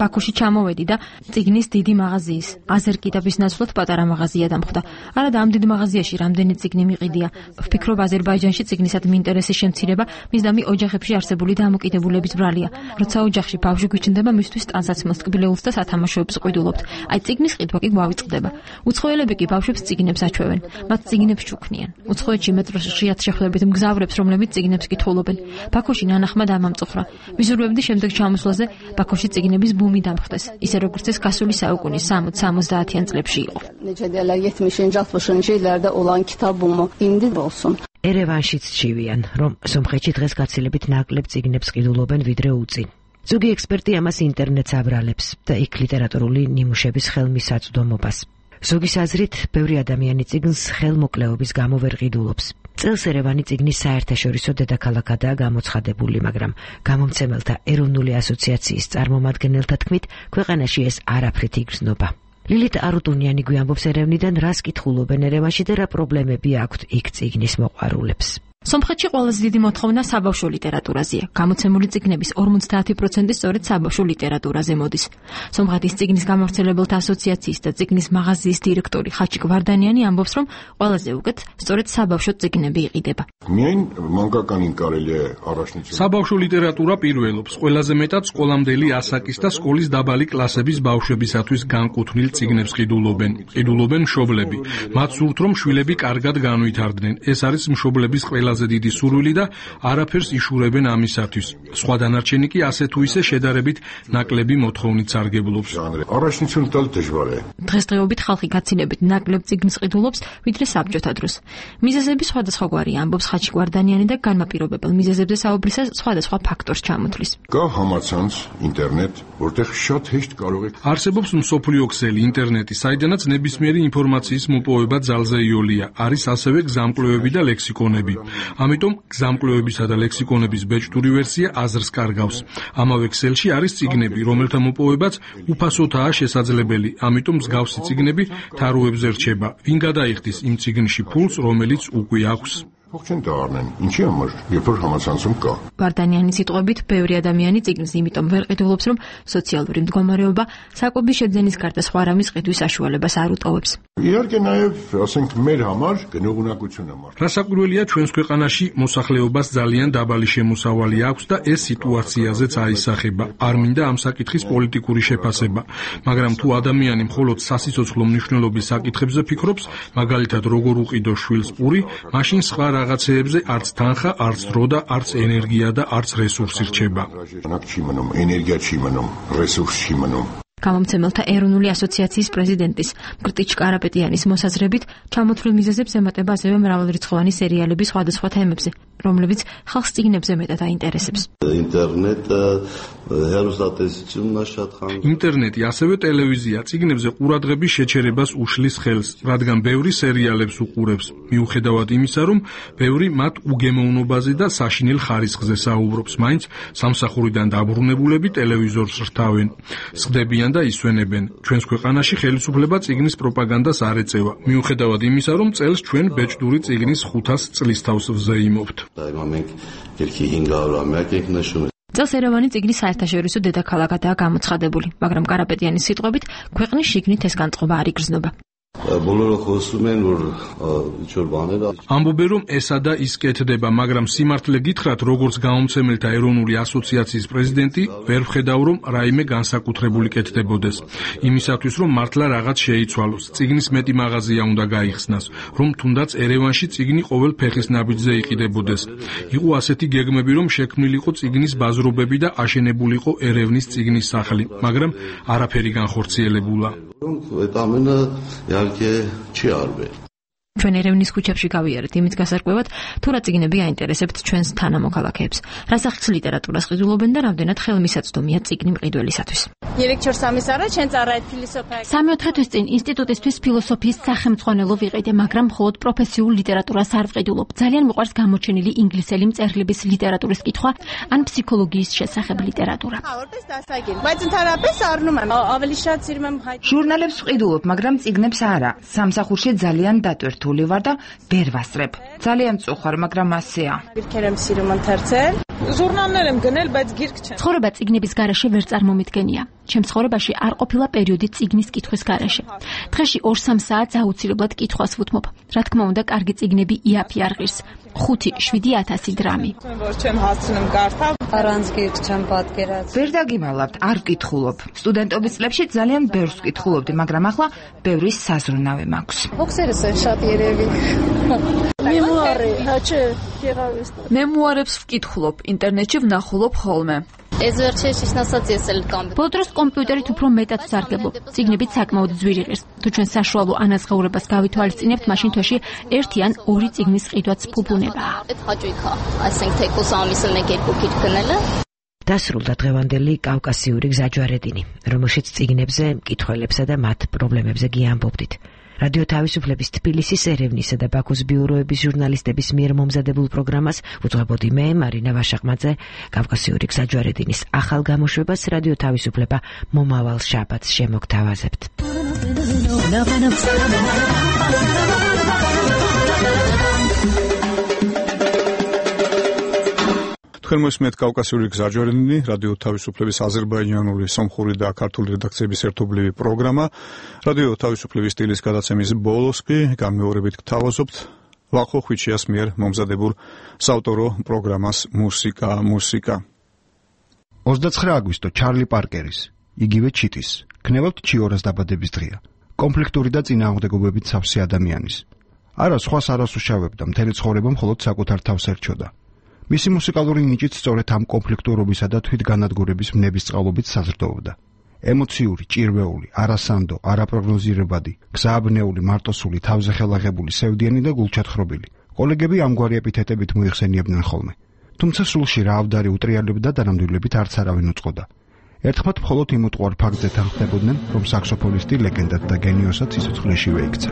ბაქოში ჩამოვედი და წიგნის დიდი მაღაზიის, აზერ კიტაბის ნაცვლად პატარა მაღაზია დამხვდა. არადა ამ დიდ მაღაზიაში რამდენი წიგნი მიყიდია. ვფიქრობ, აზერბაიჯანში წიგნისადმი ინტერესის შემცირება მისდამი ოჯახებში არსებული დამოკიდებულების ბრალია. როცა ოჯახში ბავშვი გვიჩნდება, მისთვის ტანსაცმელს ტკბილეულს და სათამაშოებს ყიდულობთ. აი წიგნის ყიდვა კი გვავიწყდება. უცხოელები კი ბავშვებს წიგნებს აჩვევენ. მათ წიგნებს ჩუქნიან. უცხოეთში მეტროში ხშირად შეხვდებით მგზავრებს, რომლებიც წიგნებს კითხულობენ. ბაქოში ნანახმა დამამწუხრა. ვიზურვებდი შემდეგ ჩამოსვლაზე ბაქოში წიგნების ბუმი დამხდეს, ისე როგორც ეს გასული საუკუნის 60-70-იან წლებში იყო. ერევანშიც ჩივიან, რომ სომხეთში დღეს გაცილებით ნაკლებ წიგნებს ყიდულობენ ვიდრე უწინ. ზოგი ექსპერტი ამას ინტერნეტს აბრალებს და იქ ლიტერატურული ნიმუშების ხელმისაწვდომობას. ზოგის აზრით, ბევრი ადამიანი წიგნს ხელმოკლეობის გამო ვერ ყიდულობს. წელს ერევანი წიგნის საერთაშორისო დედაქალაქადაა გამოცხადებული, მაგრამ გამომცემელთა ეროვნული ასოციაციის წარმომადგენელთა თქმით, ქვეყანაში ეს არაფრით იგრძნობა. ლილით არუტუნიანი გვიამბობს ერევნიდან, რას კითხულობენ ერევანში და რა პრობლემები აქვთ იქ წიგნის მოყვარულებს. სომხეთში ყველაზე დიდი მოთხოვნა საბავშვო ლიტერატურაზეა. გამოცემული წიგნების 50% სწორედ საბავშვო ლიტერატურაზე მოდის. სომხეთის წიგნის გამავრცელებელთა ასოციაციის და წიგნის მაღაზიის დირექტორი ხაჩიკ ვარდანიანი ამბობს, რომ ყველაზე უკეთ სწორედ საბავშვო წიგნები იყიდება. საბავშვო ლიტერატურა პირველობს, ყველაზე მეტად სკოლამდელი ასაკის და სკოლის დაბალი კლასების ბავშვებისათვის განკუთვნილ წიგნებს ყიდულობენ. ყიდულობენ მშობლები. მათ სურთ, რომ შვილები კარგად განვითარდნენ. ეს არის მშობლების ყველა დიდი სურვილი და არაფერს იშურებენ ამისათვის. სხვა დანარჩენი კი ასე თუ ისე შედარებით ნაკლები მოთხოვნით სარგებლობს. დღესდღეობით ხალხი გაცილებით ნაკლებ წიგნს ყიდულობს, ვიდრე საბჭოთა დროს. მიზეზები სხვადასხვაგვარია, ამბობს ხაჩიკ ვარდანიანი და განმაპირობებელ მიზეზებზე საუბრისას სხვადასხვა ფაქტორს ჩამოთვლის. არსებობს მსოფლიო ქსელი ინტერნეტი, საიდანაც ნებისმიერი ინფორმაციის მოპოვება ძალზე იოლია. არის ასევე გზამკვლევები და ლექსიკონები. ამიტომ გზამკვლევებისა და ლექსიკონების ბეჭდური ვერსია აზრს კარგავს. ამავე ქსელში არის წიგნები, რომელთა მოპოვებაც უფასოთაა შესაძლებელი. ამიტომ მსგავსი წიგნები თაროებზე რჩება. ვინ გადაიხდის იმ წიგნში ფულს, რომელიც უკვე აქვს? ვარდანიანის სიტყვებით, ბევრი ადამიანი წიგნს იმიტომ ვერ ყიდულობს, რომ სოციალური მდგომარეობა საკვების შეძენის გარდა სხვა რამის ყიდვის საშუალებას არ უტოვებს. რასაკვირველია, ჩვენს ქვეყანაში მოსახლეობას ძალიან დაბალი შემოსავალი აქვს და ეს სიტუაციაზეც აისახება. არ მინდა ამ საკითხის პოლიტიკური შეფასება, მაგრამ თუ ადამიანი მხოლოდ სასიცოცხლო მნიშვნელობის საკითხებზე ფიქრობს, მაგალითად როგორ უყიდო შვილს პური, მაშინ სხვა რაღაცეებზე არც თანხა, არც დრო და არც ენერგია და არც რესურსი რჩება. გამომცემელთა ეროვნული ასოციაციის პრეზიდენტის მკრტიჩ კარაპეტიანის მოსაზრებით, ჩამოთვლილ მიზეზებს ემატება ასევე მრავალრიცხოვანი სერიალების სხვადასხვა თემებზე, რომლებიც ხალხს წიგნებზე მეტად აინტერესებს. ინტერნეტი, ასევე ტელევიზია წიგნებზე ყურადღების შეჩერებას უშლის ხელს, რადგან ბევრი სერიალებს უყურებს, მიუხედავად იმისა, რომ ბევრი მათ უგემოვნობაზე და საშინელ ხარისხზე საუბრობს, მაინც სამსახურიდან დაბრუნებულები ტელევიზორს რთავენ. სხდებიან და ისვენებენ. ჩვენს ქვეყანაში ხელისუფლება წიგნის პროპაგანდას არ ეწევა, მიუხედავად იმისა, რომ წელს ჩვენ ბეჭდური წიგნის 500 წლისთავს ვზეიმობთ. წელს ერევანი წიგნის საერთაშორისო დედაქალაქადაა გამოცხადებული, მაგრამ კარაპეტიანის სიტყვებით, ქვეყნის შიგნით ეს განწყობა არ იგრძნობა. ამბობენ, რომ ესა და ის კეთდება, მაგრამ სიმართლე გითხრათ, როგორც გამომცემელთა ეროვნული ასოციაციის პრეზიდენტი, ვერ ვხედავ, რომ რაიმე განსაკუთრებული კეთდებოდეს. იმისათვის, რომ მართლა რაღაც შეიცვალოს, წიგნის მეტი მაღაზია უნდა გაიხსნას, რომ თუნდაც ერევანში წიგნი ყოველ ფეხის ნაბიჯზე იყიდებოდეს. იყო ასეთი გეგმები, რომ შექმნილიყო წიგნის ბაზრობები და აშენებულიყო ერევნის წიგნის სახლი, მაგრამ არაფერი განხორციელებულა. ჩვენ ერევნის ქუჩებში გავიარეთ იმის გასარკვევად, თუ რა წიგნები აინტერესებთ ჩვენს თანამოქალაქეებს, რა სახის ლიტერატურას ყიდულობენ და რამდენად ხელმისაწვდომია წიგნი მყიდველისათვის. სამი-ოთხი თვის წინ ინსტიტუტისთვის ფილოსოფიის სახელმძღვანელო ვიყიდე, მაგრამ მხოლოდ პროფესიულ ლიტერატურას არ ვყიდულობ. ძალიან მიყვარს გამოჩენილი ინგლისელი მწერლების ლიტერატურის კითხვა ან ფსიქოლოგიის შესახებ ლიტერატურა. ჟურნალებს ვყიდულობ, მაგრამ წიგნებს არა. სამსახურში ძალიან დატვირთული ვარ და ვერ ვასწრებ. ძალიან მწუხარ, მაგრამ ასეა. ცხოვრება წიგნების გარეშე ვერ წარმომიდგენია. ჩემს ცხოვრებაში არ ყოფილა პერიოდი წიგნის კითხვის გარეშე. დღეში 2-3 საათს აუცილებლად კითხვას ვუთმობ. რა თქმა უნდა, კარგი წიგნები იაფი არ ღირს. 5-7 დრამი. ვერ დაგიმალავთ, არ ვკითხულობ. სტუდენტობის წლებში ძალიან ბევრს ვკითხულობდი, მაგრამ ახლა ბევრი საზრუნავი მაქვს. მემუარებს ვკითხულობ, ინტერნეტში ვნახულობ ხოლმე. ბოლო დროს კომპიუტერით უფრო მეტად ვსარგებლობ. წიგნებით საკმაოდ ძვირი ღირს. თუ ჩვენ საშუალო ანაზღაურებას გავითვალისწინებთ, მაშინ თვეში 1 ან 2 წიგნის ყიდვაც ფუფუნებაა. დასრულდა დღევანდელი კავკასიური გზაჯვარედინი, რომელშიც წიგნებზე, მკითხველებსა და მათ პრობლემებზე გიამბობდით. რადიო თავისუფლების თბილისის, ერევნისა და ბაქოს ბიუროების ჟურნალისტების მიერ მომზადებულ პროგრამას უძღვებოდი მე, მარინა ვაშაყმაძე. კავკასიური გზაჯვარედინის ახალ გამოშვებას რადიო თავისუფლება მომავალ შაბათს შემოგთავაზებთ. თქვენ მოსმენთ კავკასიური გზაჯვარედინი, რადიო თავისუფლების აზერბაიჯანული, სომხური და ქართული რედაქციების ერთობლივი პროგრამა. რადიო თავისუფლების სტილის გადაცემის ბოლოს კი განმეორებით გთავაზობთ ვახო ხვიჩიას მიერ მომზადებულ საავტორო პროგრამას მუსიკა. 29 აგვისტო ჩარლი პარკერის, იგივე ჩიტის, ქნებავთ ჩიორას დაბადების დღეა. კონფლიქტური და წინააღმდეგობებით სავსე ადამიანის. არა სხვას არას უშავებდა, მთელი ცხოვრება მხოლოდ საკუთარ თავს ერჩოდა. მისი მუსიკალური ნიჭით სწორედ ამ კონფლიქტურობისა და თვითგანადგურების მნებისწყალობით საზრდოობდა. ემოციური, ჭირვეული, არასანდო, არაპროგნოზირებადი, გზააბნეული, მარტოსული, თავზე ხელაღებული, სევდიანი და გულჩათხრობილი. კოლეგები ამგვარი ეპითეტებით მოიხსენიებდნენ ხოლმე. თუმცა სულში რა ავდარი უტრიალებდა და ნამდვილებით არც არავინ უწყოდა. ერთხმად მხოლოდ იმ უტყუარ ფაქტზე თანხმდებოდნენ, რომ საქსოფონისტი ლეგენდად და გენიოსად სიცოცხლეშივე იქცა.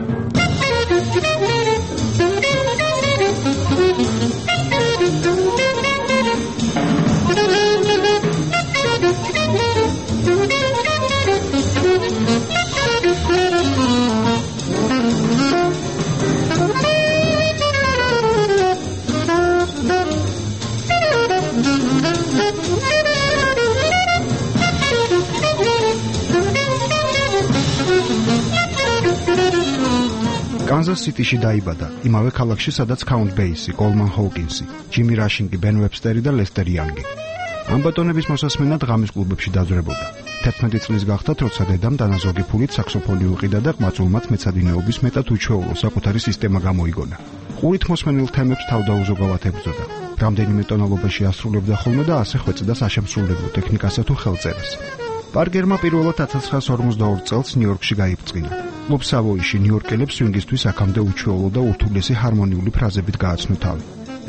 კანზას სიტიში დაიბადა, იმავე ქალაქში, სადაც კაუნტ ბეისი, კოლმან ჰოუკინსი, ჯიმი რაშინგი, ბენ ვებსტერი და ლესტერ იანგი. ამ ბატონების მოსასმენად ღამის კლუბებში დაძვრებოდა. 11 წლის გახდა, როცა დედამ დანაზოგი ფულით საქსოფონი უყიდა და ყმაწულმაც მეცადინეობის მეტად უჩვეულო საკუთარი სისტემა გამოიგონა. ყურით მოსმენილ თემებს თავდაუზოგავად ებრძოდა. რამდენიმე ტონალობაში ასრულებდა ხოლმე და ასე ხვეწდა საშემსრულებლო ტექნიკასა თუ ხელწერას. პარკერმა პირველად 1942 წელს ნიუ-იორკში გაიბრძინა. კლუბ სავოიში ნიუ-იორკელებს სვინგისთვის აქამდე უჩვეულო და ურთულესი ჰარმონიული ფრაზებით გააცნო თავი.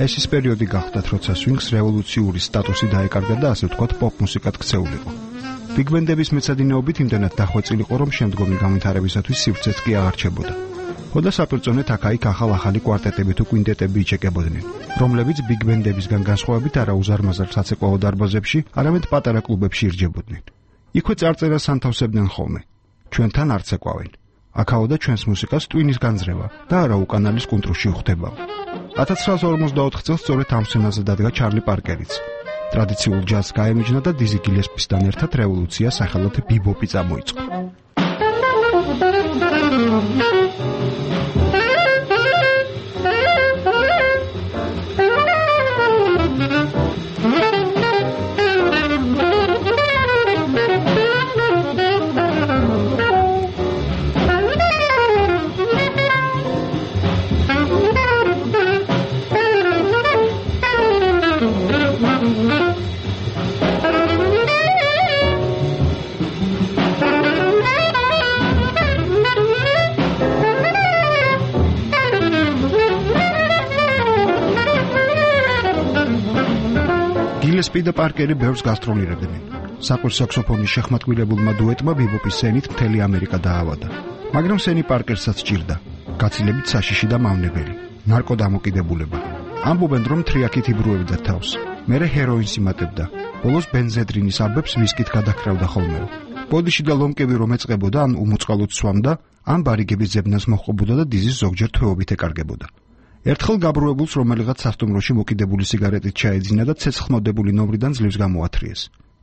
ეს ის პერიოდი გახდათ, როცა სვინგს რევოლუციური სტატუსი დაეკარგა და ასე ვთქვათ პოპ მუსიკად ქცეულიყო. ბიგბენდების მეცადინეობით იმდენად დახვეწილიყო, რომ შემდგომი განვითარებისათვის სივრცეც კი აღარჩებოდა. ხოდა საპირწონეთ აქა-იქ ახალ-ახალი კვარტეტები თუ კვინტეტები იჩეკებოდნენ, რომლებიც ბიგბენდებისგან განსხვავებით არა უზარმაზარ საცეკვაო დარბაზებში, არამედ პატარა კლუბებში ირჯებოდნენ. იქვე წარწერას ანთავსებდნენ ხოლმე. ჩვენთან არც ეკავენ. აქაო და ჩვენს მუსიკას ტვინის განძრევა და არა უკანალის კუნტრუში უხდება. 1944 წელს სწორედ ამ სცენაზე დადგა ჩარლი პარკერიც. ტრადიციულ ჯაზს გაემიჯნა და დიზი გილესპისთან ერთად რევოლუცია სახელად ბიბოპი წამოიწყო. სპი და პარკერი ბევრს გასტროლირებდნენ. საყვირ საქსოფონის შეხმატკივრებულმა დუეტმა ბიბოპის სცენით მთელი ამერიკა დაავადა. მაგრამ სენი პარკერსაც ჭირდა. გაცილებით საშიში და მავნებელი. ნარკოდამოკიდებულება. ამბობენ, რომ თრიაქით იბრუებდა თავს. მერე ჰეროინს იმატებდა. ბოლოს ბენზედრინის აბებს ვისკით გადაჰკრავდა ხოლმე. ბოდიში და ლომკები რომ ეწყებოდა, ან უმოწყალოდ სვამდა, ან ბარიგების ძებნას მოჰყობოდა და დიზის ზოგჯერ თვეობით ეკარგებოდა. ერთხელ გაბრუებულს რომელიღაც სასტუმროში მოკიდებული სიგარეტით ჩაეძინა და ცეცხლმოდებული ნომრიდან ძლივს გამოათრიეს.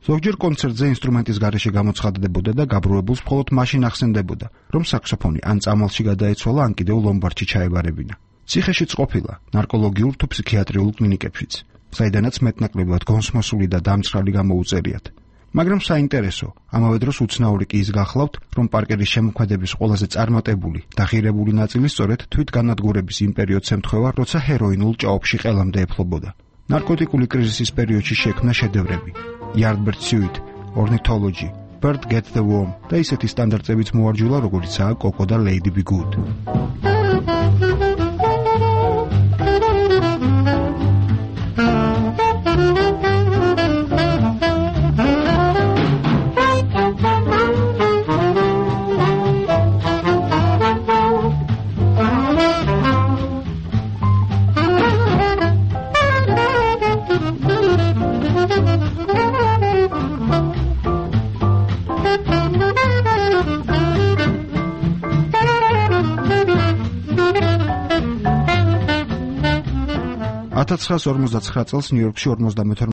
ზოგჯერ კონცერტზე ინსტრუმენტის გარეშე გამოცხადდებოდა და გაბრუებულს მხოლოდ მაშინ ახსენდებოდა, რომ საქსოფონი ან წამალში გადაეცვალა, ან კიდევ ლომბარდში ჩაებარებინა. ციხეშიც ყოფილა, ნარკოლოგიურ თუ ფსიქიატრიულ კლინიკებშიც, საიდანაც მეტნაკლებად გონსმოსული და დამცრალი გამოუწერიათ. მაგრამ საინტერესო, ამავე დროს უცნაური კი ის გახლავთ, რომ პარკერის შემოქმედების ყველაზე წარმატებული და ღირებული ნაწილი სწორედ თვითგანადგურების იმ პერიოდს ემთხვევა, როცა ჰეროინულ ჭაობში ყელამდე ეფლობოდა. ნარკოტიკული კრიზისის პერიოდში შექმნა შედევრები. Yardbird Suite, Ornithology, Bird Get the Worm და ისეთი სტანდარტებიც მოარჯულა, როგორიცაა Coco და Lady Be Good. $1959 წელს ნიუ-იორკში 52